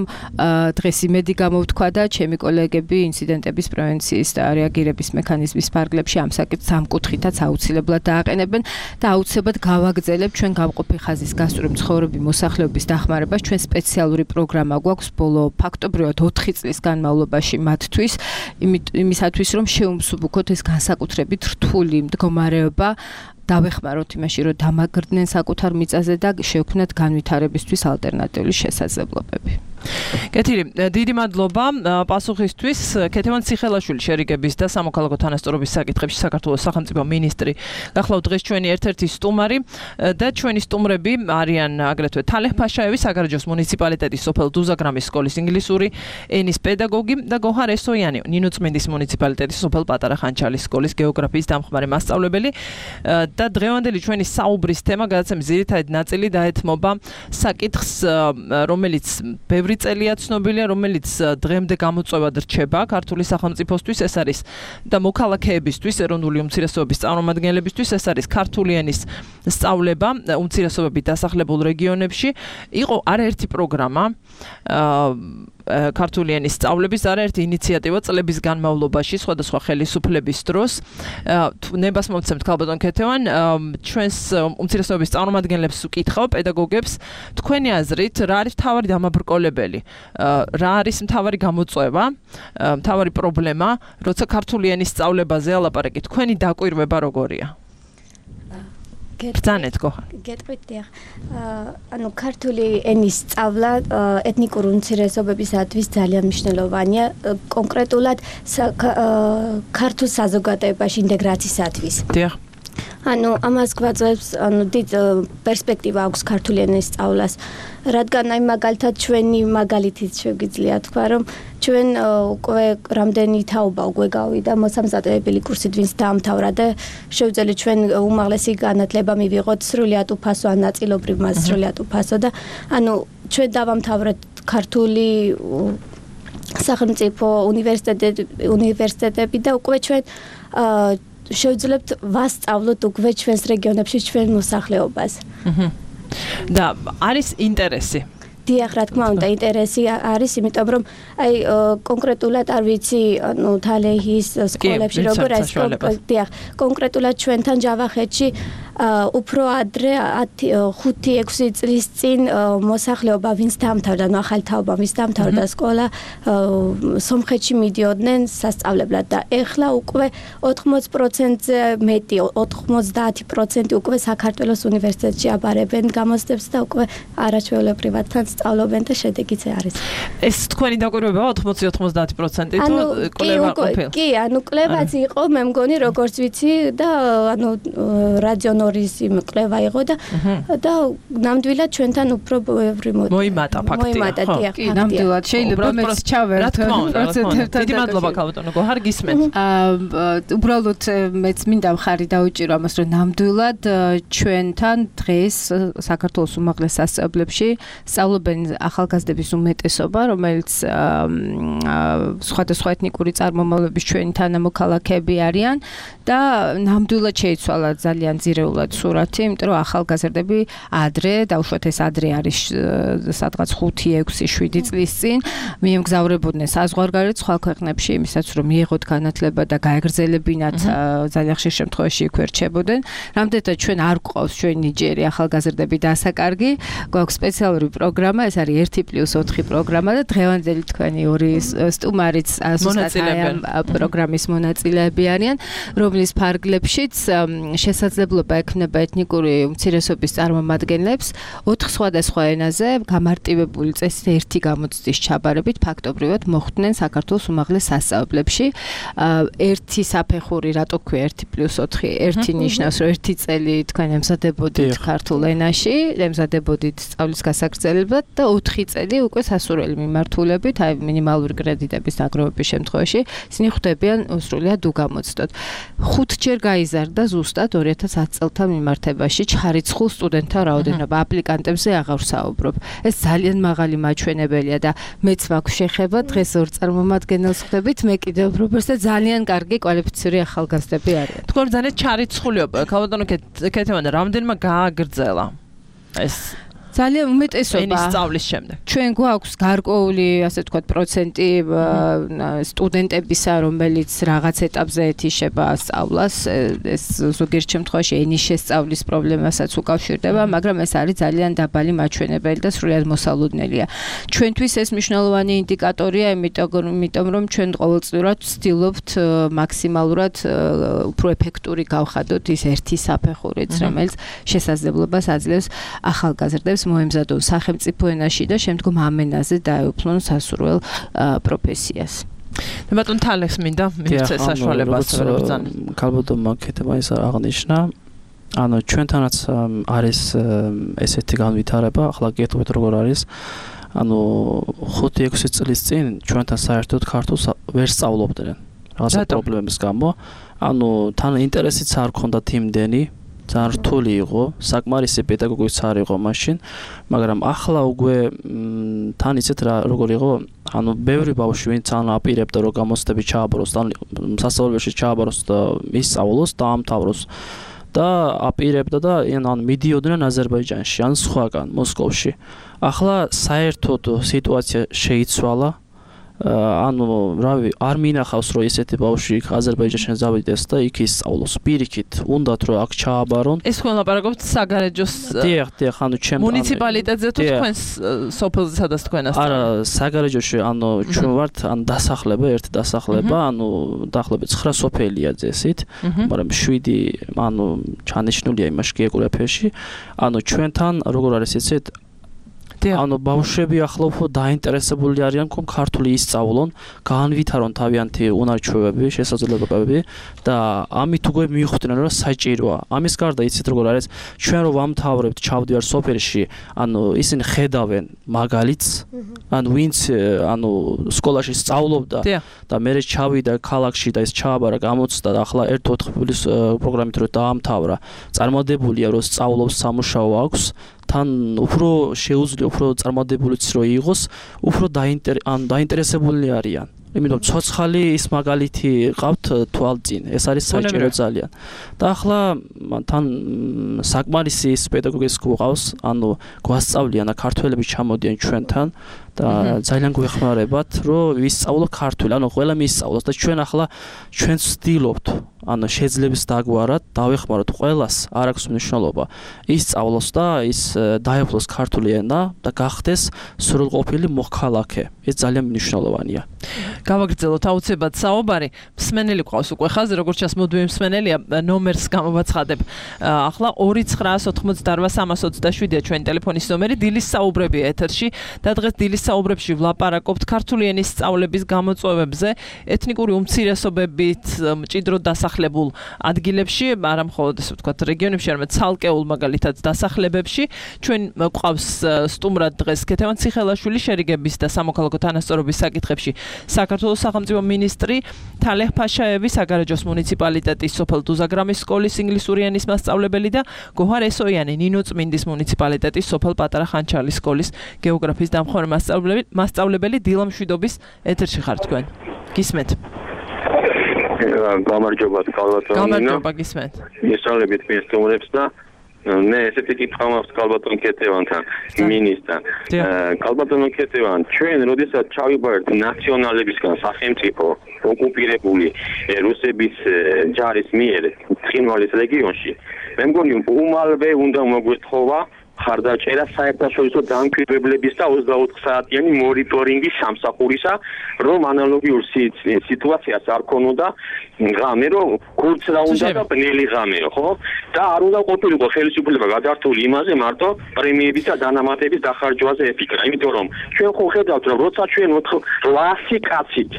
Speaker 5: დღეს იმედი გამოვთქვა და ჩემი კოლეგები ინციდენტების პრევენციის და რეაგირების მექანიზმის ფარგლებში ამ საკითხს ამ კუთხითაც აუცილებლად დააყენებენ და აუცილებლად გავაგრძელებ ჩვენ გამყოფი ხაზის გასწვრივ მცხოვრები მოსახლეობის დახმარებას ჩვენ სპეციალური პროგრამა გვაქვს ბოლო ფაქტობრივად 4 წლის განმავლობაში მათთვის იმისათვის რომ შეუმსუბუქოთ ეს განსაკუთრებით რთული მდგომარეობა დავეხმაროთ იმაში რომ დამაგრდნენ საკუთარ მიწაზე და შევქმნათ განვითარებისთვის ალტერნატიული შესაძლებლობები.
Speaker 3: კეთილი, დიდი მადლობა პასუხისთვის. ქეთევან ციხელაშვილი შერიგების და სამოქალაქო თანასწორობის საკითხებში საქართველოს სახელმწიფო მინისტრი. გახლავთ დღეს ჩვენი ერთ-ერთი სტუმარი და ჩვენი სტუმრები არიან აგრეთვე თალეჰ ფაშაევი, საგარეჯოს მუნიციპალიტეტის სოფელ დუზაგრამის სკოლის ინგლისური ენის პედაგოგი და გოჰარ ესოიანი, ნინოწმინდის მუნიციპალიტეტის სოფელ პატარა ხანჩალის სკოლის გეოგრაფიის დამხმარე მასწავლებელი. და დღევანდელი ჩვენი საუბრის თემა გადაცემის ძირითადი ნაწილი დაეთმობა საკითხს, რომელიც ბევრი წელია ცნობილია, რომელიც დღემდე გამოწვევად რჩება ქართული სახელმწიფოსთვის, ეს არის და მოქალაქეებისთვის, ეროვნული უმცირესობების წარმომადგენლებისთვის, ეს არის ქართული ენის სწავლება უმცირესობებით დასახლებულ რეგიონებში. იყო არაერთი პროგრამა ქართული ენის სწავლების არაერთი ინიციატივა წლების განმავლობაში სხვადასხვა ხელისუფლების დროს. ნებას მომცემთ ქალბატონ ქეთევან, ჩვენს უმცირესობების წარმომადგენლებს ვკითხავ, პედაგოგებს, თქვენი აზრით, რა არის მთავარი დამაბრკოლებელი? რა არის მთავარი გამოწვევა, მთავარი პრობლემა, როცა ქართული ენის სწავლებაზე ალაპარაკით, თქვენი დაკვირვება როგორია? ბრძანეთ გოჰარ.
Speaker 6: გეტყვით დიახ. ანუ ქართული ენის სწავლა ეთნიკური უმცირესობებისათვის ძალიან მნიშვნელოვანია, კონკრეტულად ქართულ საზოგადოებაში ინტეგრაციისათვის.
Speaker 3: დიახ.
Speaker 6: ანუ ამას გვაძლევს, ანუ დიდ პერსპექტივა აქვს ქართული ენის სწავლას, რადგან აი მაგალითად ჩვენი მაგალითით შეგვიძლია თქვა, რომ ჩვენ უკვე რამდენი თაობა უკვე გავიდა მოსამზადებელი კურსით, ვინც დაამთავრა და შევძელით ჩვენ უმაღლესი განათლება მივიღოთ სრულიად უფასო ან ნაწილობრივ მას სრულიად უფასო და ანუ ჩვენ დავამთავრეთ ქართული სახელმწიფო უნივერსიტეტები და უკვე ჩვენ შევძლებთ ვასწავლოთ უკვე ჩვენს რეგიონებში ჩვენ მოსახლეობას.
Speaker 3: და არის ინტერესი.
Speaker 6: დიახ, რა თქმა უნდა, ინტერესი არის, იმიტომ რომ აი კონკრეტულად არ ვიცი, ანუ თალეჰის სკოლებში როგორ არის, დიახ, კონკრეტულად ჩვენთან ჯავახეთში უფრო ადრე 5-6 წლის წინ მოსახლეობა ვინც დაამთავრა, ანუ ახალი თაობა ვინც დაამთავრა სკოლა, სომხეთში მიდიოდნენ სასწავლებლად და ეხლა უკვე 80%-ზე მეტი, 90% უკვე საქართველოს უნივერსიტეტში აბარებენ გამოცდებს და უკვე არაჩვეულებრივად თან სწავლობენ და შედეგიც არის.
Speaker 3: ეს თქვენი დაკვირვებაა 80-90% თუ კვლევა ყოფილა?
Speaker 6: კი, ანუ კვლევაც იყო, მე მგონი როგორც ვიცი და ანუ რადიონორის კვლევა იყო და ნამდვილად ჩვენთან უფრო ბევრი
Speaker 3: მოიმატა ფაქტია.
Speaker 6: მოიმატა, დიახ.
Speaker 2: კი, ნამდვილად შეიძლება მეც ჩავერთო პროცენტებთან.
Speaker 3: დიდი მადლობა ქალბატონო გოჰარ, გისმენთ.
Speaker 2: უბრალოდ მეც მინდა მხარი დავუჭირო ამას, რომ ნამდვილად ჩვენთან დღეს საქართველოს უმაღლეს სასწავლებლებში სწავლობენ ახალგაზრდების უმეტესობა, რომელიც სხვადასხვა ეთნიკური წარმომავლობის ჩვენი თანამოქალაქეები არიან და ნამდვილად შეიცვალა ძალიან ძირეულად სურათი, იმიტომ რომ ახალგაზრდები ადრე, დაუშვათ ეს ადრე არის სადღაც 5-6-7 წლის წინ მიემგზავრებოდნენ საზღვარგარეთ სხვა ქვეყნებში იმისაც რომ მიიღოთ განათლება და გაეგრძელებინათ ძალიან ხშირ შემთხვევაში იქ რჩებოდნენ. რამდენადაც ჩვენ არ გვყავს ჩვენი ნიჭიერი ახალგაზრდები დასაკარგი, გვაქვს სპეციალური პროგრამა, ეს არის 1+4 პროგრამა და დღევანდელი თქვენი ორი სტუმარიც ზუსტად ამ პროგრამის მონაწილეები არიან, რომლის ფარგლებშიც შესაძლებლობა ექნება ეთნიკური უმცირესობის წარმომადგენლებს 4 სხვადასხვა ენაზე გამარტივებული წესით ერთი გამოცდის ჩაბარებით ფაქტობრივად მოხვდნენ საქართველოს უმაღლეს სასწავლებლებში. ერთი საფეხური, რატო ქვია 1+4, ერთი ნიშნავს, რომ ერთი წელი თქვენ ემზადებოდით ქართულ ენაში, ემზადებოდით სწავლის გასაგრძელებლად და 4 წელი უკვე სასურველი მიმართულებით, აი მინიმალური კრედიტების დაგროვების შემთხვევაში ისინი ხვდებიან სრულიად უგამოცდოდ. 5 ჯერ გაიზარდა ზუსტად 2010 წელს
Speaker 5: მასალთა მიმართებაში ჩხარიცხულ სტუდენტთა რაოდენობა აპლიკანტებზე აღარ ვსაუბრობ. ეს ძალიან მაღალი მაჩვენებელია და მეც მაქვს შეხება დღეს ორ წარმომადგენელს ხვდებით, მე კიდევ უბრალოდ და ძალიან კარგი კვალიფიციური ახალგაზრდები არიან.
Speaker 3: თქვენ ძალიან ჩარიცხულიობა, ქალბატონო ქეთევანა, რამდენმა გააგრძელა ეს
Speaker 5: ძალიან უმეტესობა
Speaker 3: სწავლის შემდეგ.
Speaker 5: ჩვენ გვაქვს გარკვეული, ასე ვთქვათ, პროცენტი სტუდენტებისა, რომელიც რაღაც ეტაპზე ეთიშება სწავლას, ეს ზოგიერთ შემთხვევაში ენის შესწავლის პრობლემასაც უკავშირდება, მაგრამ ეს არის ძალიან დაბალი მაჩვენებელი და სრულად მოსალოდნელია. ჩვენთვის ეს მნიშვნელოვანი ინდიკატორია, იმიტომ რომ ჩვენ ყოველწლიურად ვცდილობთ მაქსიმალურად უფრო ეფექტური გავხადოთ ის ერთი საფეხურიც, რომელიც შესაძლებლობას აძლევს ახალგაზრდებს მოემზადონ სახელმწიფო ენაში და შემდგომ ამ ენაზე დაეუფლონ სასურველ პროფესიას.
Speaker 3: ბატონ თალექს მინდა მივცეს საშუალებას ბრძანა.
Speaker 7: ქალბატონმა ქეთევანის აღნიშნა, ანუ ჩვენთანაც არის ესეთი განვითარება, ახლა გეტყვით როგორ არის. ანუ 5-6 წლის წინ ჩვენთან საერთოდ ქართულს ვერ სწავლობდნენ რაღაცა პრობლემების გამო. ანუ თან ინტერესიც არ ქონდათ იმდენი ძალიან რთული იყო, საკმარისი პედაგოგიც არ იყო მაშინ, მაგრამ ახლა უკვე თან იცით რა როგორ იყო, ანუ ბევრი ბავშვი ვინც ან აპირებდა რომ გამოცდები ჩააბაროს, თან სასწავლებელში ჩააბაროს და ისწავლოს, დაამთავროს და აპირებდა და ან მიდიოდნენ აზერბაიჯანში, ან სხვაგან, მოსკოვში. ახლა საერთოდ სიტუაცია შეიცვალა. ანუ რავი არ მინახავს რომ ესეთი ბავშვი აზერბაიჯანში ზავიდეს და იქ ისწავლოს პირიქით უნდათ რომ აქ ჩააბარონ
Speaker 3: ეს თქვენ ლაპარაკობთ საგარეჯოს
Speaker 7: დიახ ანუ ჩემ
Speaker 3: მუნიციპალიტეტზე თუ თქვენს სოფელზე სადაც თქვენას
Speaker 7: არა საგარეჯოში ანუ ჩვენ ვართ ან დასახლება ერთი დასახლება ანუ დაახლოებით 9 სოფელია ძესით მაგრამ 7 ანუ ჩანიშნულია იმაში გეოგრაფიაში ანუ ჩვენთან როგორ არის იცით ანუ ბავშვები ახლა უფრო დაინტერესებული არიან რომ ქართული ისწავლონ, განვითარონ თავიანთი უნარჩვევები, შესაძლებლობები და ამით უკვე მიხვდნენ რომ საჭიროა. ამის გარდა იცით როგორ არის, ჩვენ რომ ვამთავრებთ, ჩავდივარ სოფელში, ანუ ისინი ხედავენ მაგალითს, ანუ ვინც ანუ სკოლაში სწავლობდა და მე ჩავიდა ქალაქში და ეს ჩააბარა გამოცდა და ახლა 1-4 წლის პროგრამით რომ დაამთავრა, წარმოდებულია რომ სწავლობს სამუშაო აქვს თან უფრო შეუძლია უფრო წარმოდებულიც რო იყოს, უფრო დაინტერესებული არიან. იმიტომ ცოცხალი ის მაგალითი ყავთ თვალწინ. ეს არის საჭირო ძალიან. და ახლა თან საკმარისი ის პედაგოგის გვყავს, ანუ გვასწავლიან და ქართველები ჩამოდიან ჩვენთან და ძალიან გვეხმარებათ, რომ ვისწავლო ქართული, ანუ ყველა მისწავლოს და ჩვენ ახლა ჩვენ ვცდილობთ ანუ შეძლებს დაგვარად დავეხმაროთ ყველას არ აქვს მნიშვნელობა ისწავლოს და ის დაეუფლოს ქართული ენა და გახდეს სრულყოფილი მოქალაქე ეს ძალიან მნიშვნელოვანია
Speaker 3: გავაგრძელოთ აუცილებლად საუბარი მსმენელი ყავს უკვე ხაზი როგორც ჩასმოდვი მსმენელია ნომერს გამოვაცხადებ ახლა 2988327-ია ჩვენი ტელეფონის ნომერი დილის საუბრებია ეთერში და დღეს დილის საუბრებში ვლაპარაკობთ ქართული ენის სწავლების გამოწვევებზე ეთნიკური უმცირესობებით მჭიდროდ დასახლებულ ადგილებში, არა მხოლოდ ესე ვთქვათ რეგიონებში, არამედ ცალკეულ მაგალითად დასახლებებში. ჩვენ გვყავს სტუმრად დღეს ქეთევან ციხელაშვილი შერიგების და სამოქალაქო თანასწორობის საკითხებში საქართველოს სახელმწიფო მინისტრი თალეჰ ფაშაევი საგარეჯოს მუნიციპალიტეტის სოფელ დუზაგრამის სკოლის ინგლისური ენის მასწავლებელი და გოჰარ ესოიანი ნინოწმინდის მუნიციპალიტეტის სოფელ პატარა ხანჩალის სკოლის გეოგრაფიის დამხმარე მასწავლებელი დილა მშვიდობის ეთერში ხართ თქვენ. გისმენთ.
Speaker 8: გამარჯობა კალბატონო.
Speaker 3: გამარჯობა გისმენთ.
Speaker 8: მისალებით მე სტუმრებს და მე ესეთი კითხვა მაქვს კალბატონ ქეთევანთან, მინისტრთან. კალბატონო ქეთევან, ჩვენ როდესაც ჩავიბარეთ ნაციონალებისგან სახელმწიფო ოკუპირებული რუსების ჯარის მიერ ცხინვალის რეგიონში, მე მგონი უმალვე უნდა მოგვეთხოვა ხარდაჭერა საერთაშორისო დამკვირვებლების და 24 საათიანი მონიტორინგის სამსახურისა, რომ ანალოგიურ სიტუაციას არ ქონოდა ღამე, რომ კურც რა უნდა და ბნელი ღამე, ხო? და არ უნდა ყოფილიყო ხელისუფლება გადართული იმაზე მარტო პრემიების და დანამატების დახარჯვაზე ეფიქრა, იმიტომ რომ ჩვენ ხო ხედავთ, რომ როცა ჩვენ 800 კაცით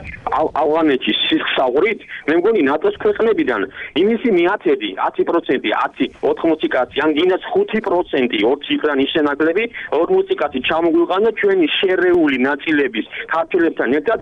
Speaker 8: ავღანეთში სიხსავრით, მე მგონი ნატოს ქვეყნებიდან იმისი მიათედი 10%, 80 კაცი, ან გინდაც 5% ციფრა ნიშნულები 40 კაცი ჩამოგვიყანა ჩვენი შერეული ნაწილების ქართველებთან ერთად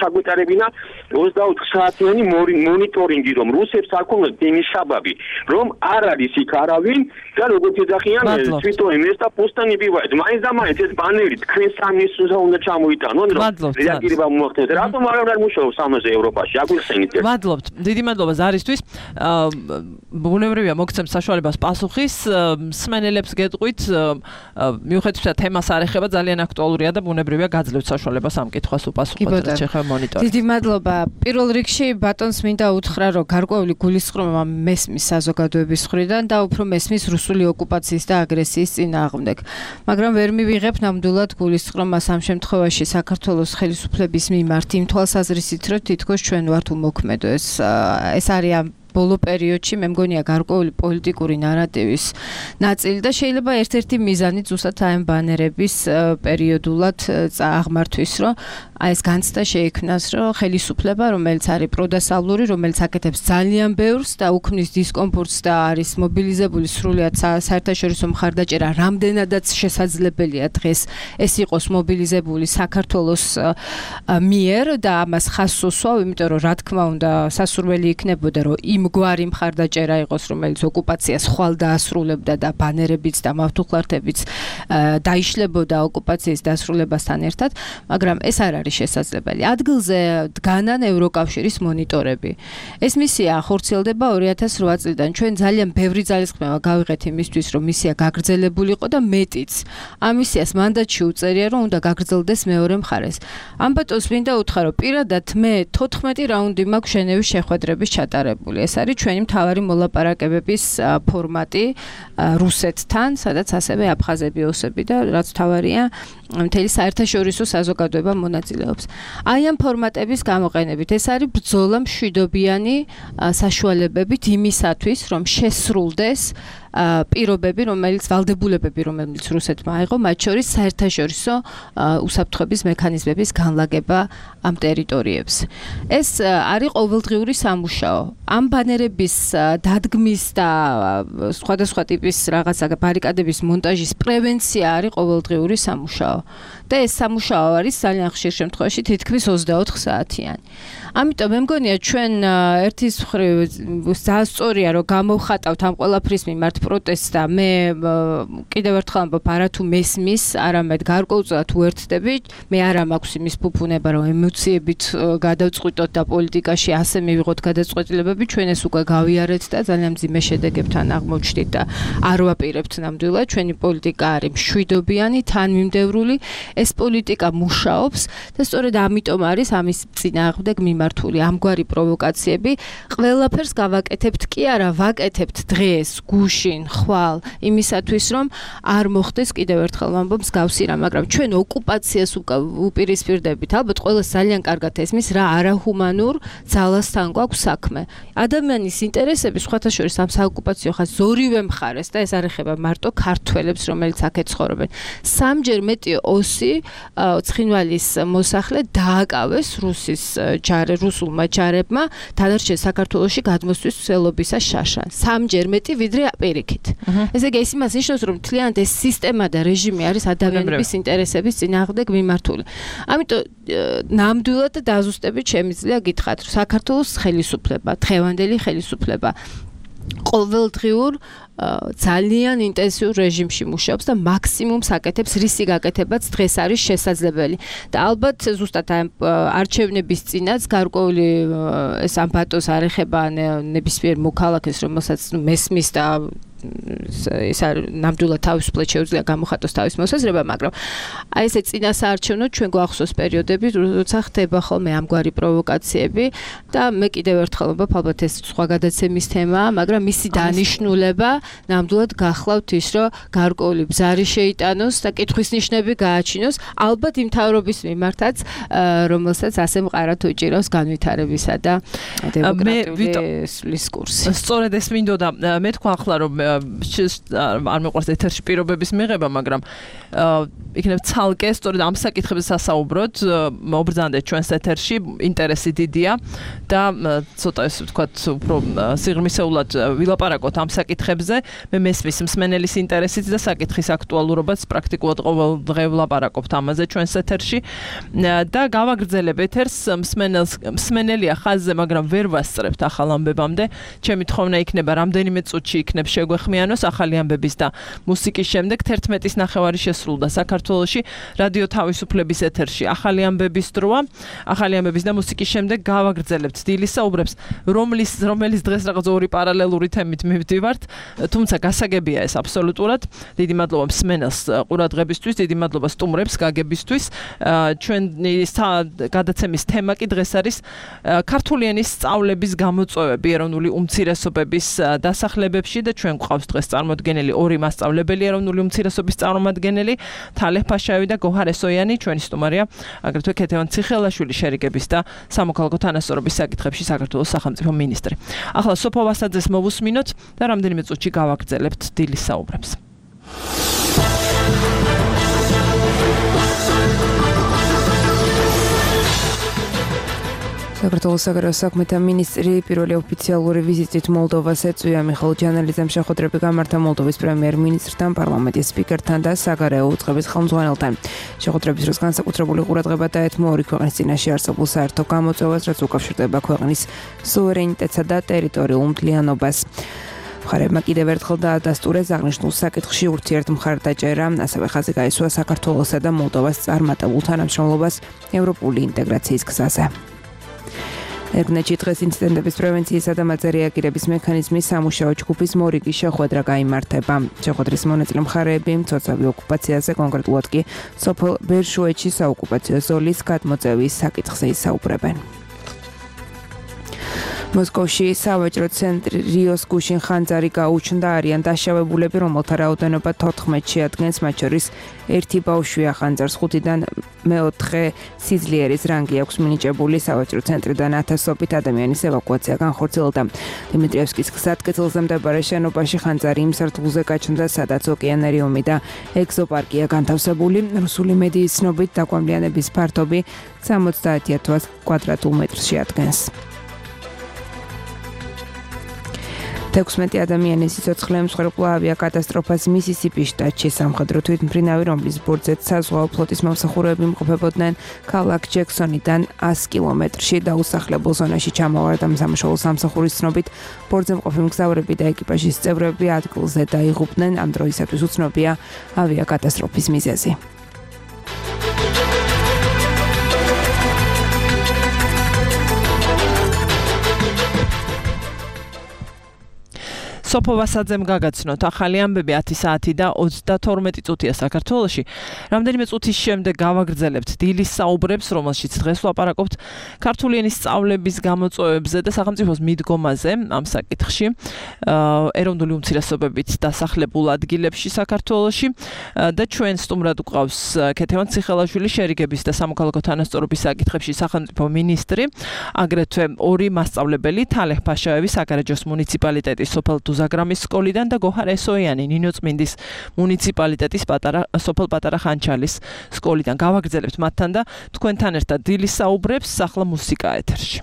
Speaker 8: ჩაგვეტარებინა 24 საათიანი მონიტორინგი, რომ რუსებს აქვს იმის საბაბი, რომ არ არის იქ არავინ და როგორც ეძახიან თვითონ ეს და პოსტანი ბივაით. მაინც და მაინც ეს ბანერი თქვენ სამისზე უნდა ჩამოიტანონ, რომ რეაგირება მოახდინოს. რატომ არ მუშაობს ამაზე ევროპაში? აგვიხსენით.
Speaker 3: მადლობთ. დიდი მადლობა ზარისთვის. ბუნებრივია მოგცემ საშუალებას პასუხის. მსმენელებს გეტყვით, მიუხედავად იმისა, თემას არ ეხება, ძალიან აქტუალურია და ბუნებრივია გაძლევთ საშუალებას ამ კითხვას უპასუხოთ, რაც შეეხება მონიტორინგს.
Speaker 5: დიდი მადლობა. პირველ რიგში ბატონს მინდა უთხრა, რომ გარკვეული გულისხმობა მესმის საზოგადოების მხრიდან და უფრო მესმის რუსული ოკუპაციის და აგრესიის წინააღმდეგ. მაგრამ ვერ მივიღებ ნამდვილად გულისხმობას ამ შემთხვევაში საქართველოს ხელისუფლების მიმართ იმ თვალსაზრისით, რომ თითქოს ჩვენ ვართ უმოქმედო. ეს არის ბოლო პერიოდში მე მგონია გარკვეული პოლიტიკური ნარატივის ნაწილი და შეიძლება ერთ-ერთი მიზანი ზუსტად ამ ბანერების პერიოდულად აღმართვის, რომ აი ეს განცდა შეიქმნას, რომ ხელისუფლება, რომელიც არის პროდასავლური, რომელიც აკეთებს ძალიან ბევრს და უქმნის დისკომფორტს და არის მობილიზებული სრულიად საერთაშორისო მხარდაჭერა, რამდენადაც შესაძლებელია დღეს ეს იყოს მობილიზებული საქართველოს მიერ და ამას ხაზს უსვავ, იმიტომ რომ რა თქმა უნდა სასურველი იქნებოდა, რომ იმგვარი მხარდაჭერა იყოს, რომელიც ოკუპაციას ხვალ დაასრულებდა და ბანერებიც და მავთუხლართებიც დაიშლებოდა ოკუპაციის დასრულებასთან ერთად, მაგრამ ეს არ არის შესაძლებელი. ადგილზე დგანან ევროკავშირის მონიტორები. ეს მისია ხორციელდება 2008 წლიდან. ჩვენ ძალიან ბევრი ძალისხმევა გავიღეთ იმისთვის, რომ მისია გაგრძელებულიყო და მეტიც. ამ მისიას მანდატში უწერია, რომ უნდა გაგრძელდეს მეორე მხარეს. ამბატონს მინდა უთხრა, რომ პირადად მე 14 რაუნდი მაქვს ჟენევის შეხვედრების ჩატარებული. ეს არის ჩვენი მთავარი მოლაპარაკებების ფორმატი რუსეთთან, სადაც ასევე აფხაზები, ოსები და რაც მთავარია მთელი საერთაშორისო საზოგადოება მონაწილეობს. აი ამ ფორმატების გამოყენებით ეს არის ბრძოლა მშვიდობიანი საშუალებებით იმისათვის, რომ შესრულდეს პირობები, რომელიც ვალდებულებები, რომელიც რუსეთმა აიღო, მათ შორის საერთაშორისო უსაფრთხოების მექანიზმების განლაგება ამ ტერიტორიებს. ეს არის ყოველდღიური სამუშაო. ამ ბანერების დადგმის და სხვადასხვა ტიპის რაღაცა ბარიკადების მონტაჟის პრევენცია არის ყოველდღიური სამუშაო. და ეს სამუშაო არის ძალიან ხშირ შემთხვევაში თითქმის 24 საათიანი. ამიტომ მე მგონია ჩვენ ერთის მხრივ ძალიან სწორია რომ გამოვხატავთ ამ ყველაფრის მიმართ პროტესტს და მე კიდევ ერთხელ ამბობ არათუ მესმის, არამედ გარკვეულწილად უერთდები. მე არ მაქვს იმის ფუფუნება რომ ემოციებით გადავწყვიტოთ და პოლიტიკაში ასე მივიღოთ გადაწყვეტილებები, ჩვენ ეს უკვე გავიარეთ და ძალიან მძიმე შედეგებთან აღმოჩნდით და არ ვაპირებთ ნამდვილად. ჩვენი პოლიტიკა არის მშვიდობიანი, თანმიმდევრული. ეს პოლიტიკა მუშაობს და სწორედ ამიტომ არის ამის წინააღმდეგ მიმართული ამგვარი პროვოკაციები. ყველაფერს გავაკეთებთ კი არა, ვაკეთებთ დღეს, გუშინ, ხვალ, იმისათვის რომ არ მოხდეს კიდევ ერთხელ ვამბობ მსგავსი რა, მაგრამ ჩვენ ოკუპაციას უპირისპირდებით. ალბათ ყველას ძალიან კარგად ესმის რა არაჰუმანურ ძალასთან გვაქვს საქმე. ადამიანის ინტერესები სხვათა შორის ამ საოკუპაციო ხაზს ორივე მხარეს და ეს არ ეხება მარტო ქართველებს, რომელიც აქ ეცხოვრობენ. სამჯერ მეტი ოსი ცხინვალის მოსახლე დააკავეს რუსულმა ჯარებმა დანარჩენ საქართველოში გადმოსვლის ცდილობისას შაშან. სამჯერ მეტი ვიდრე პირიქით. ესე იგი ეს იმას ნიშნავს, რომ მთლიანად ეს სისტემა და რეჟიმი არის ადამიანების ინტერესების წინააღმდეგ მიმართული. ამიტომ ნამდვილად დაზუსტებით შემიძლია გითხრათ, რომ საქართველოს ხელისუფლება, დღევანდელი ხელისუფლება ყოველდღიურ ძალიან ინტენსიურ რეჟიმში მუშაობს და მაქსიმუმს აკეთებს, რისი გაკეთებაც დღეს არის შესაძლებელი. და ალბათ ზუსტად ამ არჩევნების წინაც გარკვეული ეს ამ ბატონს არ ეხება ნებისმიერ მოქალაქეს, რომელსაც მესმის და ეს ნამდვილად თავისუფლად შეუძლია გამოხატოს თავის მოსაზრება, მაგრამ აი ესე წინასაარჩევნო ჩვენ გვახსოვს პერიოდები, როცა ხდება ხოლმე ამგვარი პროვოკაციები და მე კიდევ ერთხელ ვამბობ, ალბათ ეს სხვა გადაცემის თემაა, მაგრამ მისი დანიშნულება ნამდვილად გახლავთ ის, რომ გარკვეული ბზარი შეიტანოს და კითხვის ნიშნები გააჩინოს, ალბათ იმ თავრობის მიმართაც, რომელსაც ასე მყარად უჭირავს განვითარებისა და დემოკრატიული სulis კურსი.
Speaker 3: სწორედ ეს მინდოდა მე თქვა ახლა რომ არ მეყვარს ეთერში პირობების მიღება, მაგრამ იქნებ ცალკე სწორედ ამ საკითხებზე სასაუბროთ, მობრძანდეთ ჩვენს ეთერში, ინტერესი დიდია და ცოტა ესე ვთქვათ, უფრო სიღრმისეულად ვილაპარაკოთ ამ საკითხებზე. მე მესმის მსმენელის ინტერესით და საკითხის აქტუალურობაც პრაქტიკულად ყოველდღე ვლაპარაკობთ ამაზე ჩვენს ეთერში და გავაგრძელებ ეთერს მსმენელია ხაზზე, მაგრამ ვერ ვასწრებთ ახალ ამბებამდე. ჩემი თხოვნა იქნება რამდენიმე წუთში იქნებ შეგვეხმიანოს ახალი ამბების და მუსიკის შემდეგ 11-ის ნახევარი შესრულდა საქართველოში რადიო თავისუფლების ეთერში. ახალი ამბების დროა, ახალი ამბების და მუსიკის შემდეგ გავაგრძელებთ დილის საუბრებს, რომელიც დღეს რაღაც ორი პარალელური თემით მივდივართ, თუმცა გასაგებია ეს აბსოლუტურად. დიდი მადლობა მსმენელს ყურადღებისთვის, დიდი მადლობა სტუმრებს გაგებისთვის. ჩვენი გადაცემის თემა კი დღეს არის ქართული ენის სწავლების გამოწვევები ეროვნული უმცირესობების დასახლებებში და ჩვენ გვყავს დღეს წარმოდგენილი ორი მასწავლებელი ეროვნული უმცირესობის წარმომადგენელი თალეჰ ფაშაევი და გოჰარ ესოიანი, ჩვენი სტუმარია აგრეთვე ქეთევან ციხელაშვილი შერიგების და სამოქალაქო თანასწორობის საკითხებში საქართველოს სახელმწიფო მინისტრი. ახლა სოფო ვასაძეს მოვუსმინოთ და რამდენიმე წუთში გავაგრძელებთ დილის საუბრებს.
Speaker 2: საქართველოს საგარეო საქმეთა მინისტრი პირველი ოფიციალური ვიზიტით მოლდოვას ეწვია. მიხეილ ჯანელიძემ შეხვედრები გამართა მოლდოვის პრემიერ-მინისტრთან, პარლამენტის სპიკერთან და საგარეო უწყების ხელმძღვანელთან. შეხვედრების დროს განსაკუთრებული ყურადღება დაეთმო ორი ქვეყნის წინაშე არსებულ საერთო გამოწვევას, რაც უკავშირდება ქვეყნის სუვერენიტეტსა და ტერიტორიულ მთლიანობას. მხარეებმა კიდევ ერთხელ დაადასტურეს აღნიშნულ საკითხში ურთიერთმხარდაჭერა, ასევე ხაზი გაისვა საქართველოსა და მოლდოვას წარმატებულ თანამშრომლობას ევროპული ინტეგრაციის გზაზე. ერგნეთში დღეს ინციდენტების პრევენციისა და მათზე რეაგირების მექანიზმის სამუშაო ჯგუფის მორიგი შეხვედრა გაიმართება. შეხვედრის მონაწილე მხარეები მცოცავი ოკუპაციაზე, კონკრეტულად კი სოფელ ბერშუეთში საოკუპაციო ზოლის გადმოწევის საკითხზე ისაუბრებენ. მოსკოვში სავაჭრო ცენტრი რიოს გუშინ ხანძარი გაუჩნდა, არიან დაშავებულები, რომელთა რაოდენობა 14 შეადგენს, მათ შორის ერთი ბავშვია ხანძარს 5-დან მეოთხე სიძლიერის რანგი აქვს მინიჭებული. სავაჭრო ცენტრიდან ათასობით ადამიანის ევაკუაცია განხორციელდა. დიმიტრიევსკის გზატკეცილზე მდებარე შენობაში ხანძარი იმ სართულზე გაჩნდა, სადაც ოკეანერიუმი და ეგზოპარკია განთავსებული. რუსული მედიის ცნობით დაკვამლიანების ფართობი 70,000 კვადრატულ მეტრს შეადგენს. 16 ადამიანის სიცოცხლე მსხვერპლა ავიაკატასტროფას მისისიპის შტატში. სამხედრო თვითმფრინავი, რომლის ბორცვზე საზღვაო ფლოტის მომსახურეები იმყოფებოდნენ, ქალაქ ჯექსონიდან 100 კილომეტრში დაუსახლებულ ზონაში ჩამოვარდა. სამშობლო სამსახურის ცნობით, ბორცვზე მყოფი მგზავრები და ეკიპაჟის წევრები ადგილზე დაიღუპნენ. ამ დროისათვის უცნობია ავიაკატასტროფის მიზეზი. სოფო ვასაძემ გაგაცნოთ ახალი ამბები 10 საათი და 32 წუთია საქართველოში. რამდენიმე წუთის შემდეგ გავაგრძელებთ დილის საუბრებს, რომელშიც დღეს ვლაპარაკობთ ქართული ენის სწავლების გამოწვევებზე და სახელმწიფოს მიდგომაზე ამ საკითხში ეროვნული უმცირესობებით დასახლებულ ადგილებში საქართველოში და ჩვენ სტუმრად გვყავს ქეთევან ციხელაშვილი შერიგების და სამოქალაქო თანასწორობის საკითხებში სახელმწიფო მინისტრი, აგრეთვე ორი მასწავლებელი თალეჰ ფაშაევი საგარეჯოს მუნიციპალიტეტის სოფელ ზაგრამის სკოლიდან და გოჰარ ესოიანი ნინოწმინდის მუნიციპალიტეტის სოფელ პატარა ხანჩალის სკოლიდან. გავაგრძელებთ მათთან და თქვენთან ერთად დილის საუბრებს. ახლა მუსიკა ეთერში.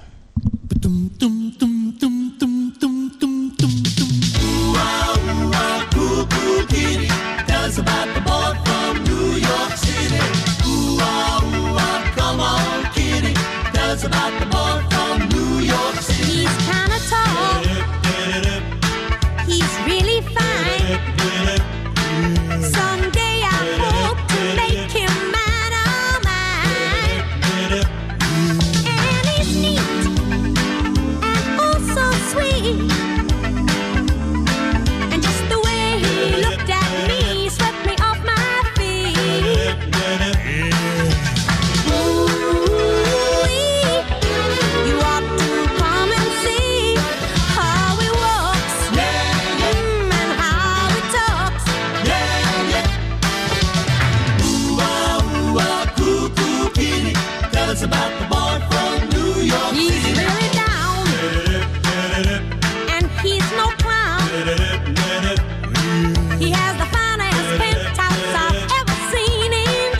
Speaker 9: Someday I hope to make him mine, oh mine. And he's neat and oh so sweet. And just the way he looked at me swept me off my feet. Ooh, you ought to come and see how he walks and how he talks. Tell us about the boy from New York City. He's really down, and he's no clown. He has the finest penthouse I've ever seen in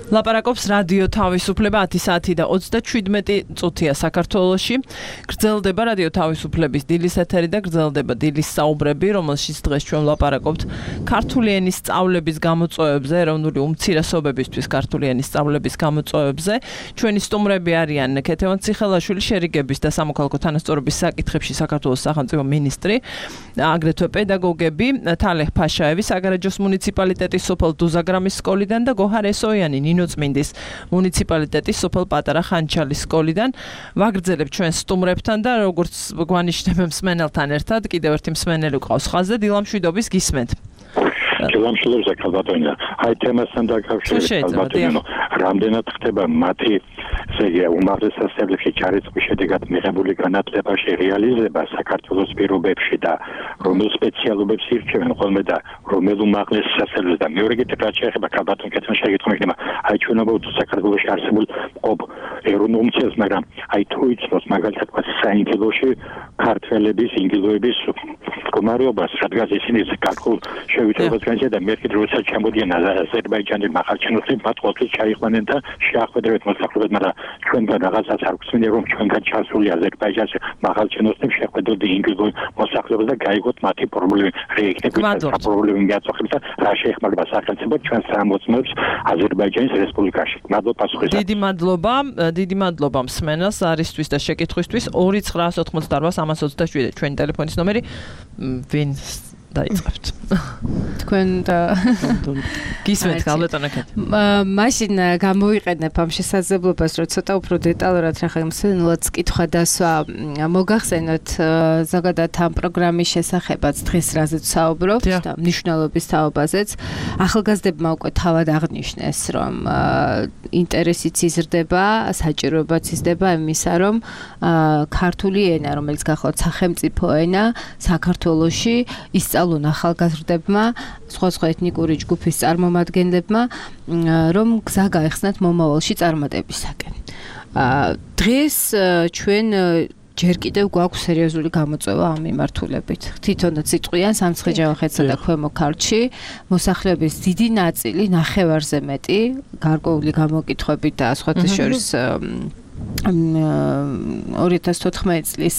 Speaker 3: ლაპარაკობს რადიო თავისუფლება 10 საათი და 37 წუთია საქართველოში. გრძელდება რადიო თავისუფლების დილის ეთერი და გრძელდება დილის საუბრები, რომელშიც დღეს ჩვენ ვლაპარაკობთ ქართული ენის სწავლების გამოწვევებზე, ეროვნული უმცირესობებისთვის ქართული ენის სწავლების გამოწვევებზე. ჩვენი სტუმრები არიან ქეთევან ციხელაშვილი, შერიგების და სამოქალაქო თანასწორობის საკითხებში საქართველოს სახელმწიფო მინისტრი, აგრეთვე პედაგოგები, თალეხ ფაშაევი, საგარეჯოს მუნიციპალიტეტის სოფელ დუზაგრამის სკოლიდან და გოჰარ ესოიანი, ნინოწმინდის მუნიციპალიტეტის სოფელ პატარა ხანჩალის სკოლიდან. ვაგრძელებ ჩვენ სტუმრებთან და როგორც გვანიშნებ მსმენელთან ერთად, კიდევ ერთი მსმენელი ყავს ხაზზე, დილამშვიდობის გისმენთ.
Speaker 10: დილამშვიდობისა ქალბატონო. აი თემასთან დაკავშირებით ქალბატონო, რამდენად ხდება მათი უმაღლეს სასწავლებლებში ჩარიცხვის შედეგად მიღებული განათლებაში რეალიზება საქართველოს პირობებში და რომელ სპეციალობებს ირჩევენ ხოლმე და რომელ უმაღლეს სასწავლებლებს და მეორე კიდევ რაც შეეხება ქალბატონ კეთილ შეგეთქვი იქნება აი ჩვენ ვაუწყოთ საქართველოში არსებულ ყოფ ეროვნულ უმცირეს მაგრამ აი თუ იცნობს მაგალითად საინგილოში ქართველების ინგილოების მდგომარეობას რადგან ისინი გარკვეულ შევითრებას განსხვავდა მე კიდევ როცა ჩამოდიან აზერბაიჯანის მახარჩინოსებს მათ ყოველთვის ჩაიყვანენ და შეახვედრებთ მოსახლეობას მაგრამ ჩვენგან რაღაცას არ გვსმენია რომ ჩვენგან ჩასული აზერბაიჯანში მახარჩინოსებს შეხვედროთ ინგილოს მოსახლეობას და გაიგოთ მათი პრობლემები რეიქნებით პრობლემები მიაწოხებს და რა შეეხმარება სახელმწიფო ჩვენ სამოცნობს აზერბაიჯანის რესპუბლიკაში მადლობა პასუხისათვის
Speaker 3: დიდი მადლობა მსმენელს არისთვის და შეკითხვისთვის 2988327 ჩვენი ტელეფონის ნომერი ვინ დაიწყებთ
Speaker 5: თქვენ და
Speaker 3: გისმენთ ქალბატონო კეთილი
Speaker 5: მაშინ გამოვიყენებ ამ შესაძლებლობას რომ ცოტა უფრო დეტალურად რახან მსმენელს კითხვა დასვა მოგახსენოთ ზოგადად ამ პროგრამის შესახებაც დღეს რაზეც საუბრობთ და მნიშვნელობის თაობაზეც ახალგაზრდებმა უკვე თავად აღნიშნეს რომ ინტერესიც იზრდება საჭიროებაც იზრდება იმისა რომ ქართული ენა რომელიც გახლავთ სახელმწიფო ენა საქართველოში ისწავლონ ახალგაზრდებმა სხვა ეთნიკური ჯგუფის წარმომადგენლებმა რომ გზა გაეხსნათ მომავალში წარმატებისაკენ. დღეს ჩვენ ჯერ კიდევ გვაქვს სერიოზული გამოწვევა ამ მიმართულებით. თვითონაც იტყვიან სამცხე-ჯავახეთსა და ქვემო ქართლში მოსახლეობის დიდი ნაწილი ნახევარზე მეტი გარკვეული გამოკითხვებით და სხვათა შორის 2014 წლის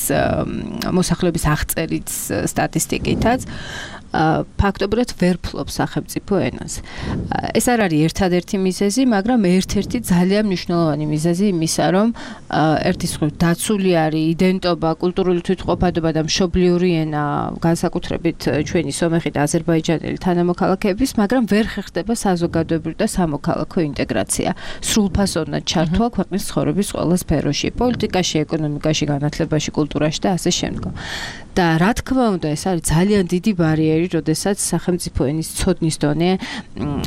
Speaker 5: მოსახლეობის აღწერის სტატისტიკითაც ფაქტობრივად ვერ ფლობს სახელმწიფო ენას. ეს არ არის ერთადერთი მიზეზი, მაგრამ ერთ-ერთი ძალიან მნიშვნელოვანი მიზეზი იმისა, რომ ერთის მხრივ დაცული არის იდენტობა, კულტურული თვითმყოფადობა და მშობლიური ენა, განსაკუთრებით ჩვენი სომეხი და აზერბაიჯანელი თანამოქალაქეების, მაგრამ ვერ ხერხდება საზოგადოებრივი და სამოქალაქო ინტეგრაცია. სრულფასოვნად ჩართვა ქვეყნის ცხოვრების ყველა სფეროში, პოლიტიკაში, ეკონომიკაში, განათლებაში, კულტურაში და ასე შემდგომ. და რა თქმა უნდა, ეს არის ძალიან დიდი ბარიერი, როდესაც სახელმწიფო ენის ცოდნის დონე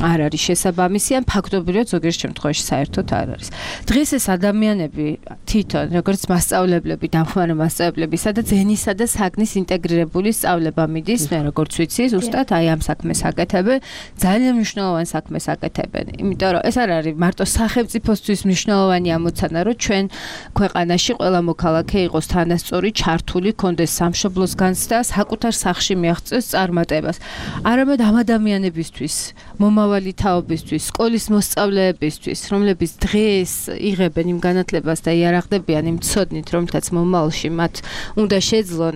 Speaker 5: არ არის შესაბამისი, ან ფაქტობრივად ზოგიერთ შემთხვევაში საერთოდ არ არის. დღეს ეს ადამიანები თვითონ, როგორც მასწავლებლები, დამხმარე მასწავლებლები, სადაც ენისა და საგნის ინტეგრირებული სწავლება მიდის, მე როგორც ვიცი, ზუსტად აი ამ საქმეს აკეთებენ, ძალიან მნიშვნელოვან საქმეს აკეთებენ. იმიტომ რომ ეს არ არის მარტო სახელმწიფოსთვის მნიშვნელოვანი ამოცანა, რომ ჩვენ ქვეყანაში ყველა მოქალაქე იყოს თანასწორი, ჩართული, კონდეს სამშობლოს განცდა, საკუთარ სახლში მიაღწევს წარმატებას. არამედ ამ ადამიანებისთვის, მომავალი თაობისთვის, სკოლის მოსწავლეებისთვის, რომლებიც დღეს იღებენ იმ განათლებას და იარაღდებიან იმ ცოდნით, რომლითაც მომავალში მათ უნდა შეძლონ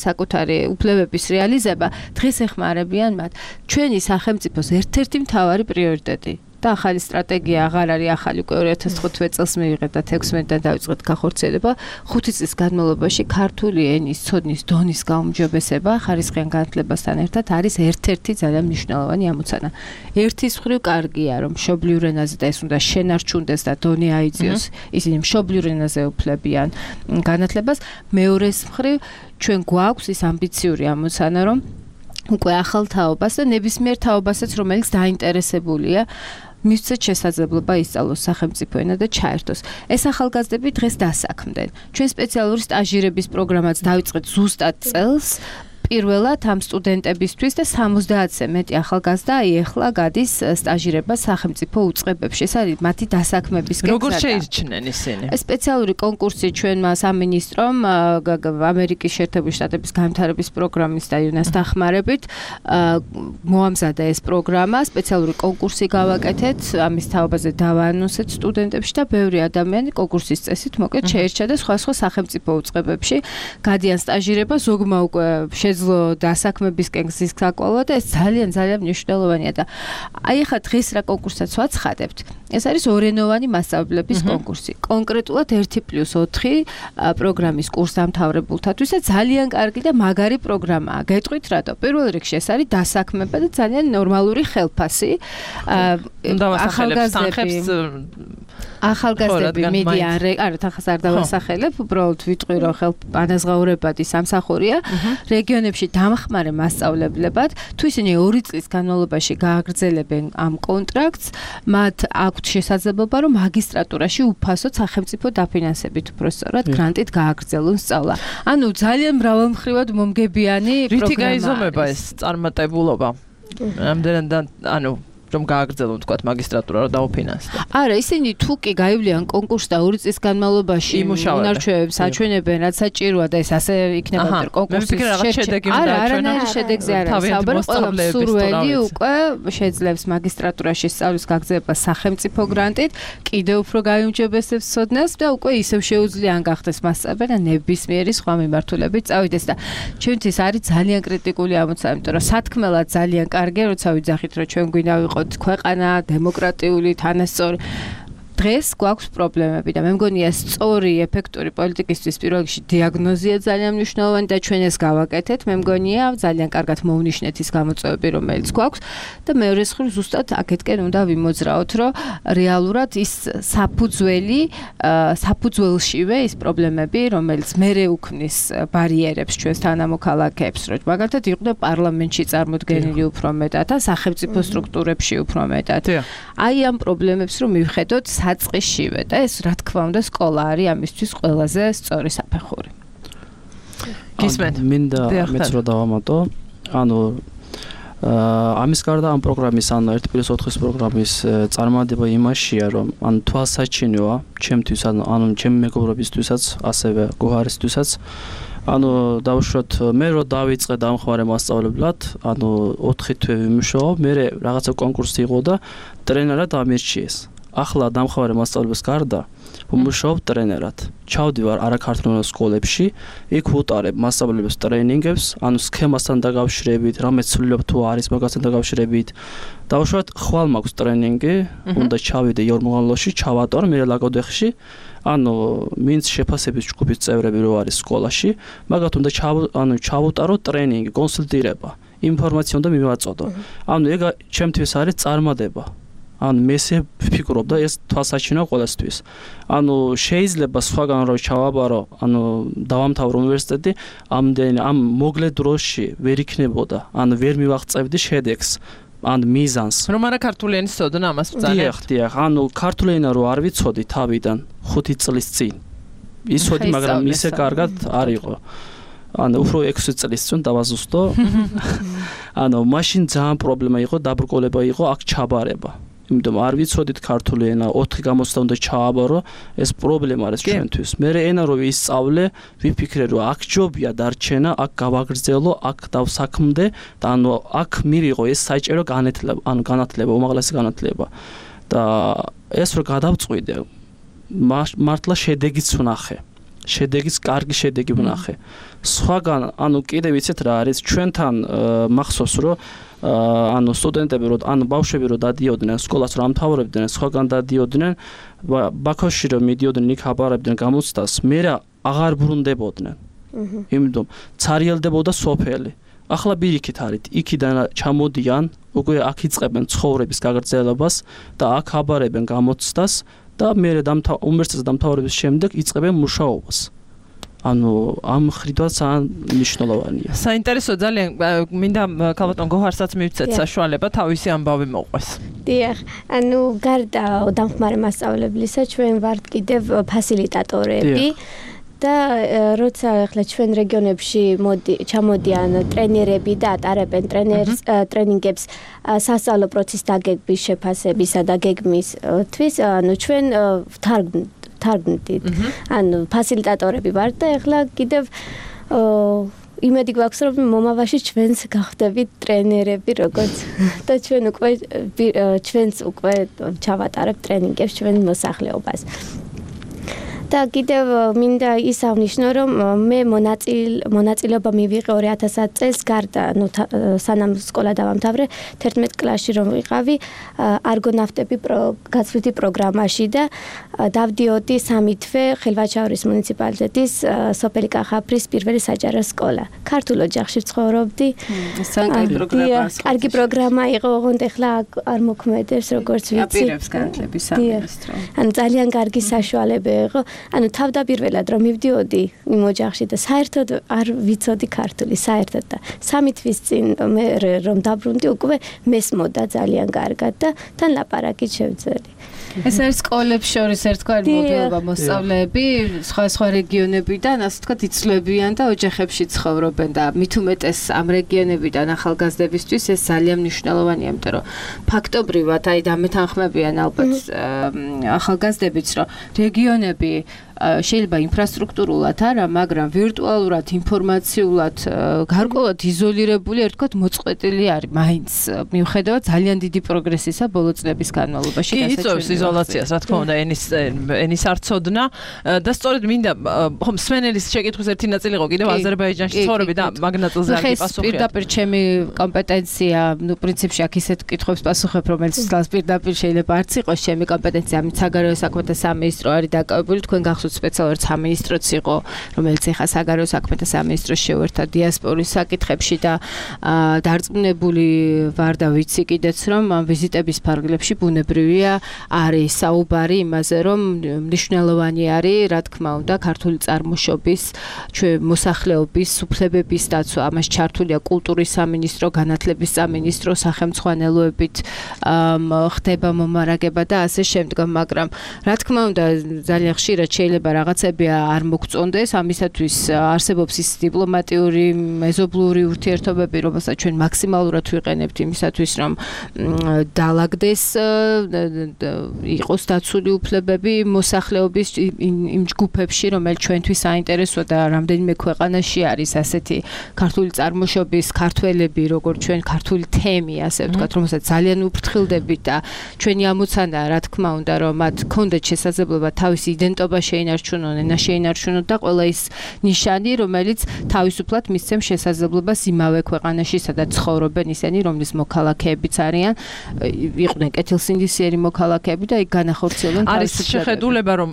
Speaker 5: საკუთარი უფლებების რეალიზება, დღეს ეხმარებიან მათ. ჩვენი სახელმწიფოს ერთ-ერთი მთავარი პრიორიტეტი და ახალი სტრატეგია აღარ არის ახალი, უკვე 2015 წელს მივიღეთ და 16-დან დავიწყეთ გახორციელება. 5 წლის განმავლობაში ქართული ენის ცოდნის დონის გაუმჯობესება ხარისხიან განათლებასთან ერთად არის ერთ-ერთი ძალიან მნიშვნელოვანი ამოცანა. ერთის მხრივ კარგია, რომ მშობლიურ ენაზე და ეს უნდა შენარჩუნდეს და დონე აიძიოს, ისინი მშობლიურ ენაზე უფლებიან განათლებას. მეორეს მხრივ ჩვენ გვაქვს ის ამბიციური ამოცანა, რომ უკვე ახალ თაობას და ნებისმიერ თაობასაც, რომელიც დაინტერესებულია მისცეთ შესაძლებლობა ისწავლოს სახელმწიფო ენა და ჩაერთოს. ეს ახალგაზრდები დღეს დასაქმდნენ. ჩვენ სპეციალური სტაჟირების პროგრამაც დავიწყეთ ზუსტად წელს. პირველად ამ სტუდენტებისთვის და 70-ზე მეტი ახალგაზრდა ეხლა გადის სტაჟირებას სახელმწიფო უწყებებში. ეს არის მათი დასაქმების კეთება.
Speaker 3: როგორ შეირჩნენ ისინი?
Speaker 5: სპეციალური კონკურსი ჩვენმა სამინისტრომ ამერიკის შეერთებული შტატების განვითარების პროგრამის და UNAS დახმარებით მოამზადა ეს პროგრამა, სპეციალური კონკურსი გავაკეთეთ, ამის თაობაზე დავაანონსეთ სტუდენტებში და ბევრი ადამიანი კონკურსის წესით მოკლედ შეირჩა და სხვა სახელმწიფო უწყებებში გადიან სტაჟირება, ზოგმა უკვე შეძლო დასაქმებისკენ გზის გაკვალვა და ეს ძალიან მნიშვნელოვანია და აი ახლა დღეს რა კონკურსაც ვაცხადებთ. ეს არის ორენოვანი მასწავლებლების კონკურსი. კონკრეტულად 1+4 პროგრამის კურსდამთავრებულთათვის და ძალიან კარგი და მაგარი პროგრამაა. გეტყვით რატო? პირველ რიგში ეს არის დასაქმება და ძალიან ნორმალური ხელფასი. ახალგაზრდები მიდიან, არა თანხას არ დავასახელებ, უბრალოდ ვიტყვი რომ ანაზღაურებადი სამსახურია. რეგიონებში დამხმარე მასწავლებლებად, თუ ისინი 2 წლის განმავლობაში გააგრძელებენ ამ კონტრაქტს, მათ აქვთ შესაძლებლობა რომ მაგისტრატურაში უფასოდ სახელმწიფო დაფინანსებით უბრალოდ გრანტით გააგრძელონ სწავლა. ანუ ძალიან მრავალმხრივად მომგებიანი პროგრამა.
Speaker 3: რითი გაიზომება ეს წარმატებულობა? ამდენად ანუ რომ გააგრძელონ თქვათ მაგისტრატურა რომ დაუფინანსდეთ.
Speaker 5: არა, ისინი თუ კი გაივლიან კონკურსს და 2 წლის განმავლობაში უნარჩვევებს აჩვენებენ, რაც საჭიროა და ეს ასე იქნება კონკურსის შედეგი. არა, შედეგზე არ არის საუბარი, ყველა მსურველი უკვე შეძლებს მაგისტრატურაში სწავლის გაგრძელება სახელმწიფო გრანტით, კიდევ უფრო გაიუმჯობესებს ცოდნას და უკვე ისევ შეუძლია ან გახდეს მასწავლებელი და ნებისმიერი სხვა მიმართულებით წავიდეს და ჩვენთვის არის ძალიან კრიტიკული ამოცანა, იმიტომ რომ სათქმელად ძალიან კარგია, როცა ვიძახით რომ ჩვენ გვინდა ქვეყანა დემოკრატიული თანასწორი დღეს გვაქვს პრობლემები და მე მგონია სწორი ეფექტური პოლიტიკისთვის პირველ რიგში დიაგნოზია ძალიან მნიშვნელოვანი და ჩვენ ეს გავაკეთეთ. მე მგონია ძალიან კარგად მოვნიშნეთ ის გამოწვევები რომელიც გვაქვს და მეორე მხრივ ზუსტად აქეთკენ უნდა ვიმოძრაოთ რომ რეალურად ის საფუძველშივე ის პრობლემები რომელიც მერე უქმნის ბარიერებს ჩვენს თანამოქალაქეებს რომ მაგალითად იყვნენ პარლამენტში წარმოდგენილი უფრო მეტად და სახელმწიფო სტრუქტურებში უფრო მეტად. აი ამ პრობლემებს რომ მივხედოთ საწყისშივე და ეს რა თქმა უნდა სკოლა არის ამისთვის ყველაზე სწორი საფეხური.
Speaker 3: გისმენთ?
Speaker 7: მინდა მეც რა დავამატო. ანუ ამის გარდა ამ პროგრამის ანუ 1+4 პროგრამის წარმატება იმაშია რომ ანუ თვალსაჩინოა ჩემთვის ანუ ჩემი მეგობრებისთვისაც ასევე გოհარისთვისაც ანუ დავუშვათ მე რო დავიწყე დამხმარე მასწავლებლად ანუ 4 თვე ვიმუშაობ მე რაღაცა კონკურსი იყო და ტრენერად ამირჩიეს. ახლა დამხმარე მასწავლებლის გარდა ვმუშაობ ტრენერად. ჩავდივარ არაქართულ სკოლებში, იქ ვუტარებ მასწავლებლებს ტრენინგებს, ანუ სქემასთან დაკავშირებით, რამე ცვლილებ თუ არის მაგასთან დაკავშირებით. დავუშვათ ხვალ მაქვს ტრენინგი, უნდა ჩავიდე იორმაღლოში, ჩავატარ მე ლაგოდეხში, ანუ მინც შეფასების ჯგუფის წევრები რო არის სკოლაში, მაგათ უნდა ჩავუტარო ტრენინგი, კონსულტირება, ინფორმაცია უნდა მივაწოდო. ანუ ეგ ჩემთვის არის წარმატება. ანუ მესე ვფიქრობ და ეს თვალსაჩინოა ყველასთვის. ანუ შეიძლება სხვაგან რო ჩავაბარო, ანუ დავამთავრო უნივერსიტეტი, ამ მოკლე დროში ვერ იქნებოდა, ანუ ვერ მივაღწევდი შედეგს, ან მიზანს.
Speaker 3: რომ არა ქართული ენის ცოდნა ამას ბრძანებთ.
Speaker 7: დიახ, ანუ ქართული ენა რო არ ვიცოდი თავიდან 5 წლის წინ. იცოდი, მაგრამ ისე კარგად არ იყო. ანუ უფრო 6 წლის წინ დავაზუსტო. ანუ მაშინ ძალიან პრობლემა იყო, დაბრკოლება იყო, აქ ჩაბარება. იმიტომ არ ვიცოდით ქართული ენა 4 გამოცდა უნდა ჩააბარო, ეს პრობლემა არის ჩვენთვის. მე ენა რო ვისწავლე, ვიფიქრე რომ აქ ჯობია დარჩენა, აქ გავაგრძელო, აქ დავსაქმდე და ანუ აქ მივიღო ეს საჭირო განათლება, უმაღლესი განათლება. და ეს რო გადავწყვიდე, მართლა შედეგიც ვნახე. კარგი შედეგი ვნახე. სხვაგან, ანუ კიდე ვიცით რა არის, ჩვენთან მახსოვს რომ ანუ სტუდენტები რო ანუ ბავშვები რო დადიოდნენ სკოლას რო ამთავრებდნენ, სხვაგან დადიოდნენ, ბაქოში რო მიდიოდნენ, იქ აბარებდნენ გამოცდას, მე აღარ ბრუნდებოდნენ. იმიტომ ცარიელდებოდა სოფელი. ახლა ბირიქით არის, იქიდან ჩამოდიან, უკვე აქ იწყებენ ცხოვრების გაგრძელებას და აქ აბარებენ გამოცდას და მე უნივერსიტეტის დამთავრების შემდეგ იწყებენ მუშაობას. ანუ ამ ხრიდაც მნიშვნელოვანია.
Speaker 3: საინტერესო ძალიან მინდა ქალბატონ გოհარსაც მივცეთ საშუალება თავისი ამბავი მოყვეს.
Speaker 6: დიახ, ანუ გარდა დამხმარე მასწავლებლისა ჩვენ ვართ კიდევ ფასილიტატორები. და როცა ახლა ჩვენ რეგიონებში ჩამოდიან ტრენერები და ატარებენ ტრენინგებს სასწავლო პროცესის დაგეგმვის შეფასებისა და გეგმისთვის, ანუ ჩვენ ვთარგმნით. ანუ ფასილიტატორები ვართ და ახლა კიდევ იმედი გვაქვს, რომ მომავალში ჩვენს გახდებით ტრენერები, როგორც და ჩვენს უკვე ჩავატარებთ ტრენინგებს ჩვენ მოსახლეობას. და კიდევ მინდა ის აღნიშნო, რომ მე მონაწილეობა მივიღე 2010 წელს გარდა, სანამ სკოლა დავამთავრე, 11 კლასში რომ ვიყავი არგონავტები გაცვლითი პროგრამაში და დავდიოდი 3 თვე ხელვაჩაურის მუნიციპალიტეტის სოფელი კახაბრის პირველი საჯარო სკოლა. ქართულ ოჯახში ცხოვრობდი. კარგი პროგრამა იყო, ოღონდ ახლა არ მოქმედებს, როგორც ვიცი.
Speaker 5: აპირებს განათლების სამინისტრო.
Speaker 6: ანუ ძალიან კარგი საშუალება იყო. ანუ თავდაპირველად რომ მივდიოდი იმ ოჯახში და საერთოდ არ ვიცოდი ქართული, საერთოდ და 3 თვის წინ მე რომ დაბრუნდი უკვე მესმოდა ძალიან კარგად და თან ლაპარაკით შევძელი.
Speaker 5: ეს არის სკოლებს შორის ერთგვარი მოდელობა მოსწავლეები, სხვა რეგიონებიდან, ასე ვთქვათ, იცვლებიან და ოჯახებში ცხოვრობენ და მით უმეტეს ამ რეგიონებიდან ახალგაზრდებისთვის ეს ძალიან მნიშვნელოვანია, იმიტომ რომ ფაქტობრივად აი დამეთანხმებიან ალბათ ახალგაზრდებიც, რომ რეგიონები შეიძლება ინფრასტრუქტურულად არა, მაგრამ ვირტუალურად, ინფორმაციულად გარკვეულად იზოლირებული, ერთგვარად მოწყვეტილი არის. მაინც მიუხედავად ძალიან დიდი პროგრესისა ბოლო წლების განმავლობაში
Speaker 3: იწვევს იზოლაციას, რა თქმა უნდა, ენის არცოდნა და სწორედ მინდა ხომ სვენელის შეკითხვის ერთი ნაწილი იყო კიდევ აზერბაიჯანში ცხოვრები და მაგ ნაწილზე არ გიპასუხეთ.
Speaker 5: პირდაპირ ჩემი კომპეტენცია, პრინციპში აქ ისეთ კითხვებს პასუხებ, რომელიც პირდაპირ შეიძლება არც იყოს ჩემი კომპეტენცია, ამით საგარეო საქმეთა სამინისტრო არის დაკავებული, თქვენ გახსოვთ სპეციალურად სამინისტროც იყო, რომელიც ეხა საგარეო საქმეთა სამინისტროს შეუერთდა დიასპორის საკითხებში და დარწმუნებული ვარ და ვიცი კიდეც, რომ ვიზიტების ფარგლებში ბუნებრივია არის საუბარი იმაზე, რომ მნიშვნელოვანი არის, რა თქმა უნდა, ქართული წარმოშობის მოსახლეობის უფლებების დაცვა. ამას ჩართულია კულტურის სამინისტრო, განათლების სამინისტრო, სახელმწიფოებით ხდება მომარაგება და ასე შემდგომ, მაგრამ რა თქმა უნდა, ძალიან ხშირად შეიძლება რაღაცები არ მოგწონდეს, ამისათვის არსებობს ის დიპლომატიური, მეზობლური ურთიერთობები, რომელსაც ჩვენ მაქსიმალურად ვიყენებთ იმისათვის, რომ დაალაგდეს, იყოს დაცული უფლებები მოსახლეობის იმ ჯგუფებში, რომელიც ჩვენთვის საინტერესოა და რამდენიმე ქვეყანაში არის ასეთი ქართული წარმოშობის ქართველები, როგორც ჩვენ ქართული თემი, ასე ვთქვათ, რომელსაც ძალიან უფრთხილდებით და ჩვენი ამოცანაა, რა თქმა უნდა, რომ მათ ჰქონდეთ შესაძლებლობა თავისი იდენტობა შეინარჩუნონ, ენა შეინარჩუნონ და ყველა ის ნიშანი, რომელიც თავისუფლად მისცემს შესაძლებლობას იმავე ქვეყანაში, სადაც ცხოვრობენ ისინი, რომლის მოქალაქეებიც არიან, იყვნენ კეთილსინდისიერი მოქალაქეები და იქ განახორციელებენ
Speaker 3: არის შეხედულება, რომ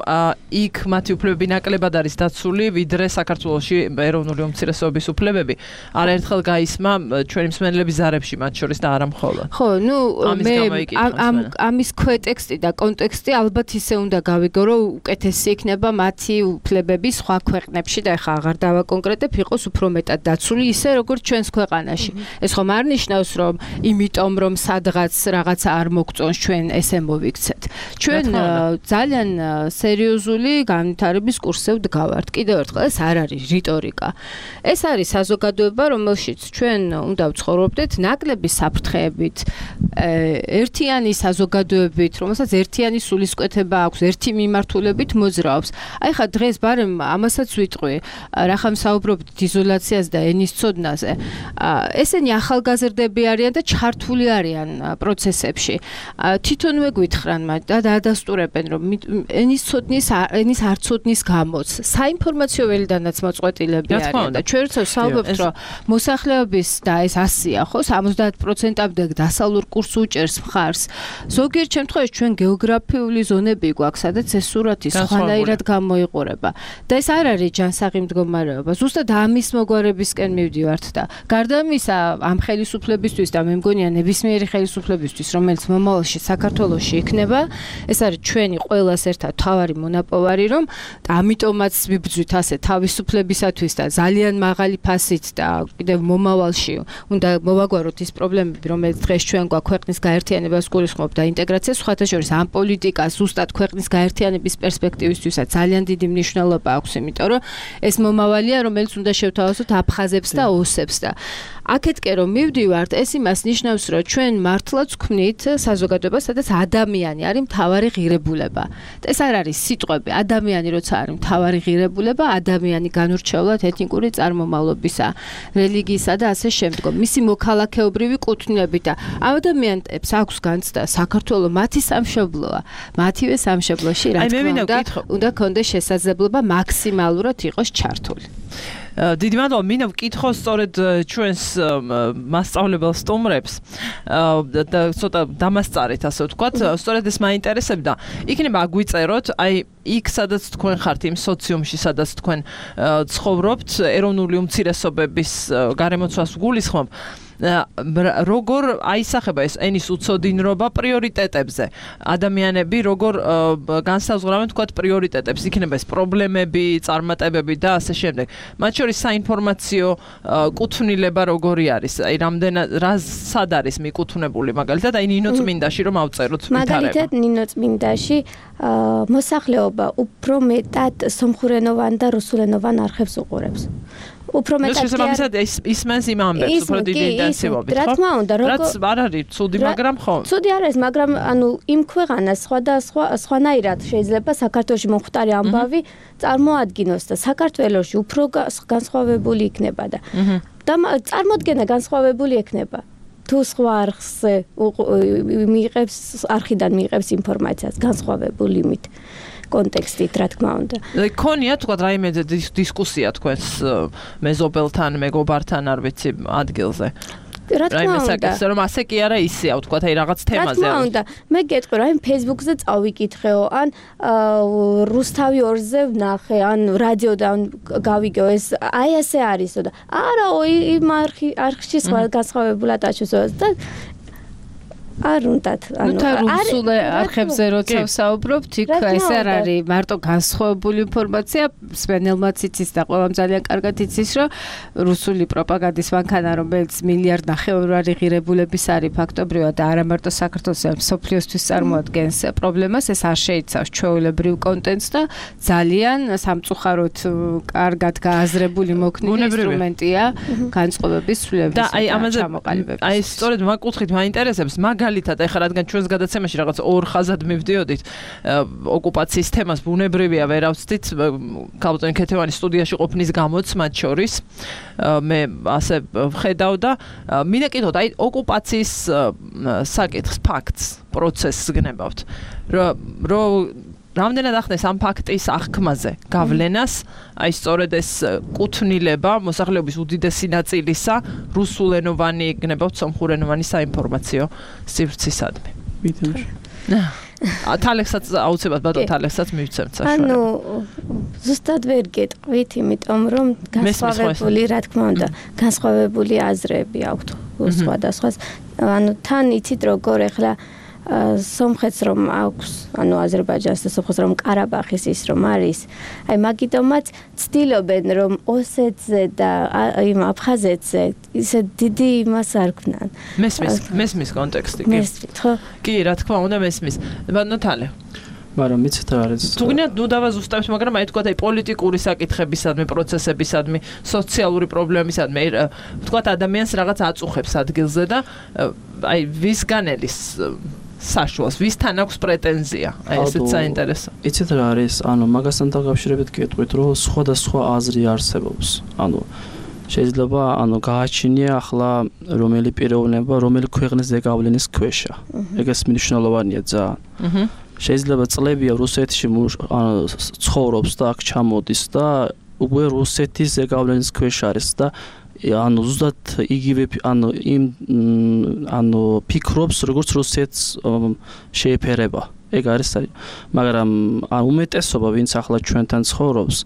Speaker 3: იქ მათი უფლებები ნაკლებად არის დაცული, ვიდრე საქართველოში ეროვნული უმცირესობების უფლებები. არაერთხელ გაისმა ჩვენი მსმენელების ზარებში, მათ შორის და არა მხოლოდ.
Speaker 5: ხო, მე ამის ქვეტექსტი და კონტექსტი ალბათ ისე უნდა გავიგო, რომ უკეთესი იქნება მათი უფლებები სხვა ქვეყნებში და ეხა აღარ დავაკონკრეტებ, იყოს უფრო მეტად დაცული ისე როგორც ჩვენს ქვეყანაში. ეს ხომ არ ნიშნავს, რომ იმიტომ რომ სადღაც რაღაცა არ მოგწონს ჩვენ ესე მოვიქცეთ. ჩვენ ძალიან სერიოზული განვითარების კურსზე ვდგავართ. კიდევ ერთხელ ეს არ არის რიტორიკა. ეს არის საზოგადოება, რომელშიც ჩვენ უნდა ვცხოვრობდეთ ნაკლები საფრთხეებით, ერთიანი საზოგადოებით, რომელსაც ერთიანი სულისკვეთება აქვს, ერთი მიმართულებით მოძრაობს. აი ხა დღეს ბარემ ამასაც ვიტყვი, რახან საუბრობთ იზოლაციაზე და ენის ცოდნაზე. ესენი ახალგაზრდები არიან და ჩართული არიან პროცესებში. თვითონვე გვითხრან მათ და დაადასტურებენ, რომ ენის არცოდნის გამოც საინფორმაციო ველიდანაც მოწყვეტილები არიან და ჩვენ საუბრობთ, რომ მოსახლეობის და ეს 100-ია, ხო, 70%-ამდე დასავლურ კურსს უჭერს მხარს. ზოგიერთ შემთხვევაში ჩვენ გეოგრაფიული ზონები გვაქვს, სადაც ეს სურათი სხვანაირად გამოიყურება. და ეს არ არის ჯანსაღი მდგომარეობა. ზუსტად ამის მოგვარებისკენ მივდივართ და გარდა ამისა, ამ ხელისუფლებისთვის და მე მგონია ნებისმიერი ხელისუფლებისთვის, რომელიც მომავალში საქართველოში იქნება, ეს არის ჩვენი ყველას ერთად თავარი მონაპოვარი, რომ და ამიტომაც ვიბრძვით ასე თავისუფლებისათვის და ძალიან მაღალი ფასით და კიდევ მომავალში უნდა მოვაგვაროთ ის პრობლემები, რომელიც დღეს ჩვენ გვაქვს ქვეყნის გაერთიანებას გულისხმობ და ინტეგრაციას, სხვათა შორის ამ პოლიტიკას ზუსტად ქვეყნის გაერთიანების პერსპექტივისთვისაც როდესაც ძალიან დიდი მნიშვნელობა აქვს, იმიტომ რომ ეს მომავალია, რომელიც უნდა შევთავაზოთ აფხაზებს და ოსებს და აქეთკე რომ მივდივართ, ეს იმას ნიშნავს, რომ ჩვენ მართლაც ვქმნით საზოგადოებას, სადაც ადამიანი არის მთავარი ღირებულება. ეს არ არის სიტყვები, ადამიანი როცა არის მთავარი ღირებულება, ადამიანი განურჩევლად ეთნიკური წარმომავლობისა, რელიგიისა და ასე შემდგომ. მისი მოქალაქეობრივი კუთვნილებით და ამ ადამიანებს აქვს განცდა საქართველოს მათი სამშობლოა, მათივე სამშობლოში რა თქმა უნდა კონდეს შესაძლებლობა მაქსიმალურად იყოს ჩართული.
Speaker 3: დიდი მადლობა, მინდა ვკითხო სწორედ ჩვენს მასწავლებელ სტუმრებს და ცოტა დამასწარეთ, ასე ვთქვათ, სწორედ ეს მაინტერესებდა. იქნება აგვიწეროთ, აი იქ სადაც თქვენ ხართ იმ სოციუმში, სადაც თქვენ ცხოვრობთ, ეროვნული უმცირესობების გარემოცვას ვგულისხმობ. როგორ აისახება ეს ენის უცოდინრობა პრიორიტეტებზე? ადამიანები როგორ განსაზღვრავენ თქვათ პრიორიტეტებს? იქნება ეს პრობლემები, წარმატებები და ასე შემდეგ. მათ შორის საინფორმაციო კუთვნილება როგორი არის? აი სად არის მიკუთვნებული მაგალითად? აი ნინო წმინდაში რომ ავწეროთ ვითარება.
Speaker 6: მაგალითად ნინო წმინდაში მოსახლეობა უფრო მეტად სომხურენოვან და რუსულენოვან არხებს უყურებს. უფრო მეტად
Speaker 3: ისმენს იმ ამბებს, უფრო დიდი ინტენსივობით, ხო?
Speaker 6: რა თქმა უნდა,
Speaker 3: რაც არ არის ცუდი, მაგრამ ხო?
Speaker 6: ცუდი არ არის, მაგრამ ანუ იმ ქვეყანას სხვანაირად შეიძლება საქართველოში მომხდარი ამბავი წარმოადგინოს და საქართველოში უფრო განსხვავებული იქნება და წარმოდგენა განსხვავებული იქნება. თუ სხვა არხზე არხიდან მიიღებს ინფორმაციას განსხვავებული იმით. კონტექსტით, რა თქმა უნდა.
Speaker 3: ქონია თქვა რაიმე დისკუსია თქვენს მეზობელთან, მეგობართან, არ ვიცი, ადგილზე.
Speaker 6: რა თქმა უნდა,
Speaker 3: რომ ასე კი არა ისეა, თქვა აი რაღაც თემაზე.
Speaker 6: რა თქმა უნდა, მე გეტყვი რა, Facebook-ზე წავიკითხეო, ან რუსთავი 2-ზე ვნახე, ან რადიოდან გავიგეო, ეს აი ასე არისო და არა, იმ არხში სხვა განსხვავებულად აჩვენოს და არ უნდათ,
Speaker 5: ანუ რუსულ არხებზე როცა ვსაუბრობთ, იქ ეს არ არის მარტო განსხვავებული ინფორმაცია, სვენელმაც იცის და ყველამ ძალიან კარგად იცის, რომ რუსული პროპაგანდის მანქანა, რომელიც მილიარდ ნახევარი ღირებულების არის ფაქტობრივად და არა მარტო საქართველოს, მსოფლიოსთვის წარმოადგენს პრობლემას, ეს არ შეიცავს ჩვეულებრივ კონტენტს და ძალიან სამწუხაროდ კარგად გააზრებული მოქნილი ინსტრუმენტია განწყობების ცვლილების
Speaker 3: და აი ამაზე აი სწორედ მაგკუთხით მაინტერესებს მაგალითად ეხლა რადგან ჩვენს გადაცემაში რაღაც ორ ხაზად მივდიოდით ოკუპაციის თემას ბუნებრივია ვერ ავწდით ქალბატონი ქეთევანის სტუდიაში ყოფნის გამოც მათ შორის მე ასე ვხედავ და მინდა კითხოთ აი ოკუპაციის საკითხს ფაქტს პროცესს გნებავთ რომ რამდენად ახდენს ამ ფაქტის აღქმაზე გავლენას აი სწორედ ეს კუთვნილება მოსახლეობის უდიდესი ნაწილისა რუსულენოვანი გნებავთ სომხურენოვანი საინფორმაციო სივრცისადმი. თალექსაც აუცილებლად ბატონ თალექსაც მივცემთ საშუალებას.
Speaker 6: ანუ ზუსტად ვერ გეტყვით, იმიტომ რომ განსხვავებული, რა თქმა უნდა, განსხვავებული აზრები აქვთ სხვადასხვა. ანუ თან იცით როგორ ეხლა სომხეთს რომ აქვს, ანუ აზერბაიჯანს და სომხეთს რომ ყარაბაღის ის რომ არის, აი მაგიტომაც ცდილობენ რომ ოსეთზე და იმ აფხაზეთზე ისე დიდი იმას არ ქნან.
Speaker 3: მესმის კონტექსტი კი.
Speaker 6: მესმით, ხო?
Speaker 3: კი, რა თქმა უნდა მესმის. ბატონო თალე.
Speaker 7: მაგრამ მიცეთ რა არის?
Speaker 3: თუ გინდათ ნუ დავაზუსტებთ, მაგრამ აი თქვა აი პოლიტიკური საკითხებისადმი, პროცესებისადმი, სოციალური პრობლემისადმი, თქვა ადამიანს რაღაც აწუხებს ადგილზე და აი ვისგან ელის საშუალს, ვისთან აქვს პრეტენზია? აი ესეც საინტერესო.
Speaker 7: იცით რა არის? ანუ მაგასთან დაკავშირებით გეტყვით, რომ სხვადასხვა აზრი არსებობს. ანუ შეიძლება გააჩინია ახლა რომელი პიროვნება, რომელი ქვეყნის ზეგავლენის ქვეშა. ეგეც მნიშვნელოვანია ძალიან. შეიძლება წლებია რუსეთში ცხოვრობს და აქ ჩამოდის და უკვე რუსეთის ზეგავლენის ქვეშ არის და ზუსტად იგივე ფიქრობს როგორც რუსეთს შეეფერება. ეგ არის მაგრამ უმეტესობა ვინც ახლა ჩვენთან ცხოვრობს,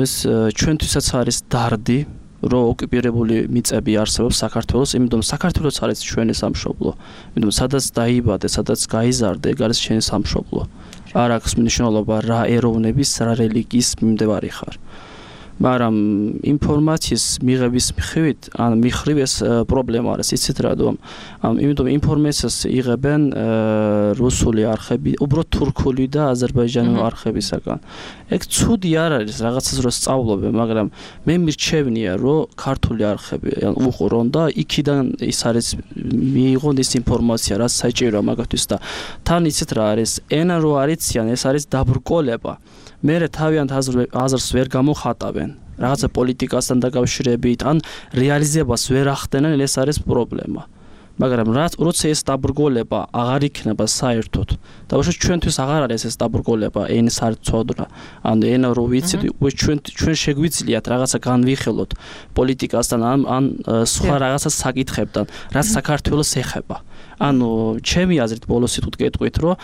Speaker 7: ეს ჩვენთვისაც არის დარდი, რომ ოკუპირებული მიწები არსებობს საქართველოს, იმიტომ საქართველოს არის ჩვენი სამშობლო. იმიტომ სადაც დაიბადე, სადაც გაიზარდე, ეგ არის ჩვენი სამშობლო. არ აქვს მნიშვნელობა რა ეროვნების, რა რელიგიის მიმდევარი ხარ. მაგრამ ინფორმაციის მიღების მხრივ ეს პრობლემა არის, იცით რატომ? იმიტომ ინფორმაციას იღებენ რუსული არხები, უბრალოდ თურქული და აზერბაიჯანული არხებისაგან. ეგ ცუდი არ არის რაღაცას რო სწავლობენ, მაგრამ მე მირჩევნია, რომ ქართული არხები უყურონ და იქიდან ის არის მიიღონ ის ინფორმაცია, რაც საჭიროა მაგათთვის და თან იცით რა არის, ენა რო არიციან, ეს არის დაბრკოლება. მერე თავიანთ აზრს ვერ გამოხატავენ. რაღაცა პოლიტიკასთან დაკავშირებით, ან რეალიზებას ვერ ახდენენ, ეს არის პრობლემა. მაგრამ როცა ეს დაბრკოლება აღარ იქნება საერთოდ და უშო ჩვენთვის აღარ არის ეს დაბრკოლება ენის არცოდრა ან ენა რო ვიცით ჩვენ შეგვიძლიათ რაღაცა განვიხილოთ პოლიტიკასთან ან სხვა რაღაცა საკითხებთან რაც საქართველოს ეხება ანუ ჩემი აზრით ბოლოს სიტყვით გეტყვით რომ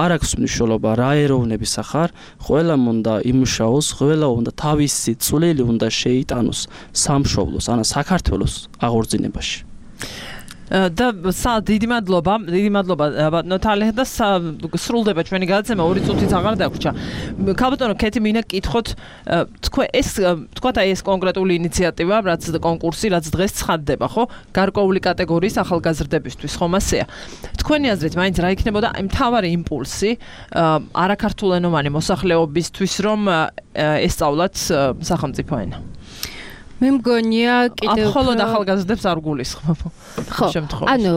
Speaker 7: არ აქვს მნიშვნელობა რა ეროვნების ახარ ყველამ უნდა იმუშაოს ყველა უნდა თავისი წვლილი უნდა შეიტანოს სამშობლოს ან საქართველოს აღორძინებაში
Speaker 3: და დიდი მადლობა ნოთალე და სრულდება ჩვენი გადაცემა 2 წუთიც აღარ დაგვრჩა. ქალბატონო კეთი მინდა კითხოთ თქვათ აი ეს კონკრეტული ინიციატივა, რაც კონკურსი, რაც დღეს ცხადდება, ხო? გარკვეული კატეგორიის ახალგაზრდებისთვის, ხომ ასეა. თქვენი აზრით, მაინც რა იქნებოდა აი მთავარი იმპულსი არაქართულენოვანი მოსახლეობისთვის, რომ ესწავლათ სახელმწიფო ენა?
Speaker 5: მე მგონია კიდევ
Speaker 3: მხოლოდ ახალგაზრდებს არ გულისხმობ.
Speaker 5: ხო, ანუ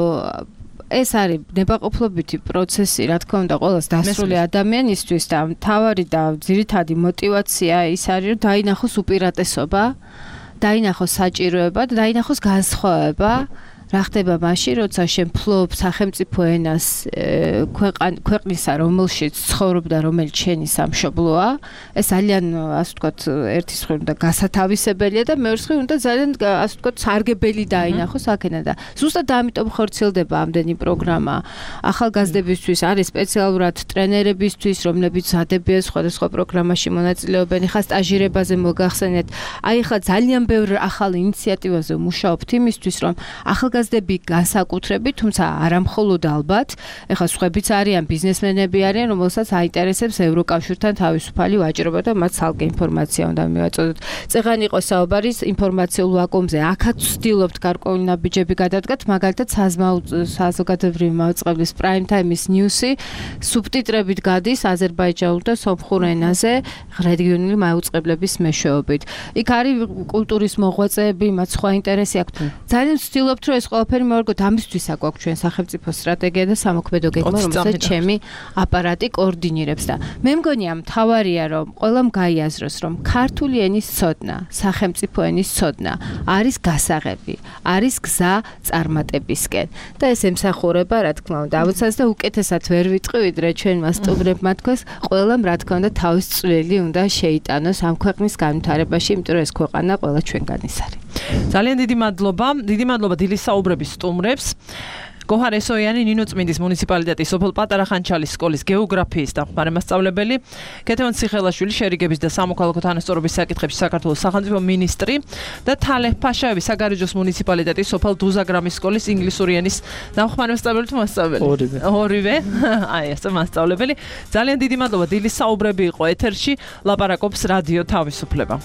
Speaker 5: ეს არის ნებაყოფლობითი პროცესი, რა თქმა უნდა, ყოველს დასრული ადამიანისთვის და მთავარი და ძირითადი мотиваცია ის არის, რომ დაინახოს უპირატესობა, დაინახოს საჭიროება და დაინახოს განსხვავება. რა ხდება მაშინ, როცა შენ ფლობ სახელმწიფო ენას ქვეყნისა, რომელშიც ცხოვრობ და რომელიც შენი სამშობლოა, ეს ძალიან, ასე ვთქვათ, ერთის მხრივ უნდა გასათავისებელია და მეორის მხრივ უნდა ძალიან, ასე ვთქვათ, სარგებელი დაინახოს აქედან და ზუსტად ამიტომ ხორციელდება ამდენი პროგრამა ახალგაზრდებისთვის, არის სპეციალურად ტრენერებისთვის, რომლებიც ადებიან სხვადასხვა პროგრამაში მონაწილეობენ, ხა სტაჟირებაზე მოგახსენეთ. აი ხა ძალიან ბევრ ახალ ინიციატივაზე მუშაობთ იმისთვის, რომ ახალგაზრდები განსაკუთრებით, თუმცა არა მხოლოდ ალბათ, ეხლა სხვებიც არიან, ბიზნესმენები არიან, რომელსაც აინტერესებს ევროკავშირთან თავისუფალი ვაჭრობა და მათ ცალკე ინფორმაცია უნდა მივაწოდოთ. წეღან იყო საუბარი ინფორმაციულ ვაკუუმზე. აქაც ვცდილობთ გარკვეული ნაბიჯები გადადგათ, მაგალითად საზოგადოებრივი მაუწყებლის Prime Time-ის ნიუსი სუბტიტრებით გადის აზერბაიჯანულ და სომხურ ენაზე რეგიონული მაუწყებლების მეშვეობით. იქ არის კულტურის მოღვაწეები, მათ სხვა ინტერესი აქვთ. ძალიან ვცდილობთ, რომ ეს ყველაფერი მოვარგოთ, ამისთვის აგვაქვს ჩვენ სახელმწიფო სტრატეგია და სამოქმედო გეგმა, რომელსაც ჩემი აპარატი კოორდინირებს და მე მგონია მთავარია, რომ ყველამ გაიაზროს, რომ ქართული ენის ცოდნა, სახელმწიფო ენის ცოდნა არის გასაღები, არის გზა წარმატებისკენ და ეს ემსახურება, რა თქმა უნდა, ამოცას და უკეთესად ვერ ვიტყვი, ვიდრე ჩვენმა სტუმრებმა თქვას, ყველამ რა თქმა უნდა თავის წვლილი უნდა შეიტანოს ამ ქვეყნის განვითარებაში, იმიტომ რომ ეს ქვეყანა ყველა ჩვენგანის არის.
Speaker 3: ძალიან დიდი მადლობა დილის საუბრების სტუმრებს. გოჰარ ესოიანი, ნინო წმინდის მუნიციპალიტეტის სოფელ პატარა ხანჩალის სკოლის გეოგრაფიის დამხმარე მასწავლებელი, კეთევან ციხელაშვილი, შერიგების და სამოქალაქო თანასწორობის საკითხებში საქართველოს სახელმწიფო მინისტრი და თალე ფაშაევი, საგარეჯოს მუნიციპალიტეტის სოფელ დუზაგრამის სკოლის ინგლისური ენის დამხმარე მასწავლებელი თუ მასწავლებელი? ორივე. აი ეს მასწავლებელი. ძალიან დიდი მადლობა, დილის საუბრები იყო ეთერში, ლაპარაკობს რადიო თავისუფლება.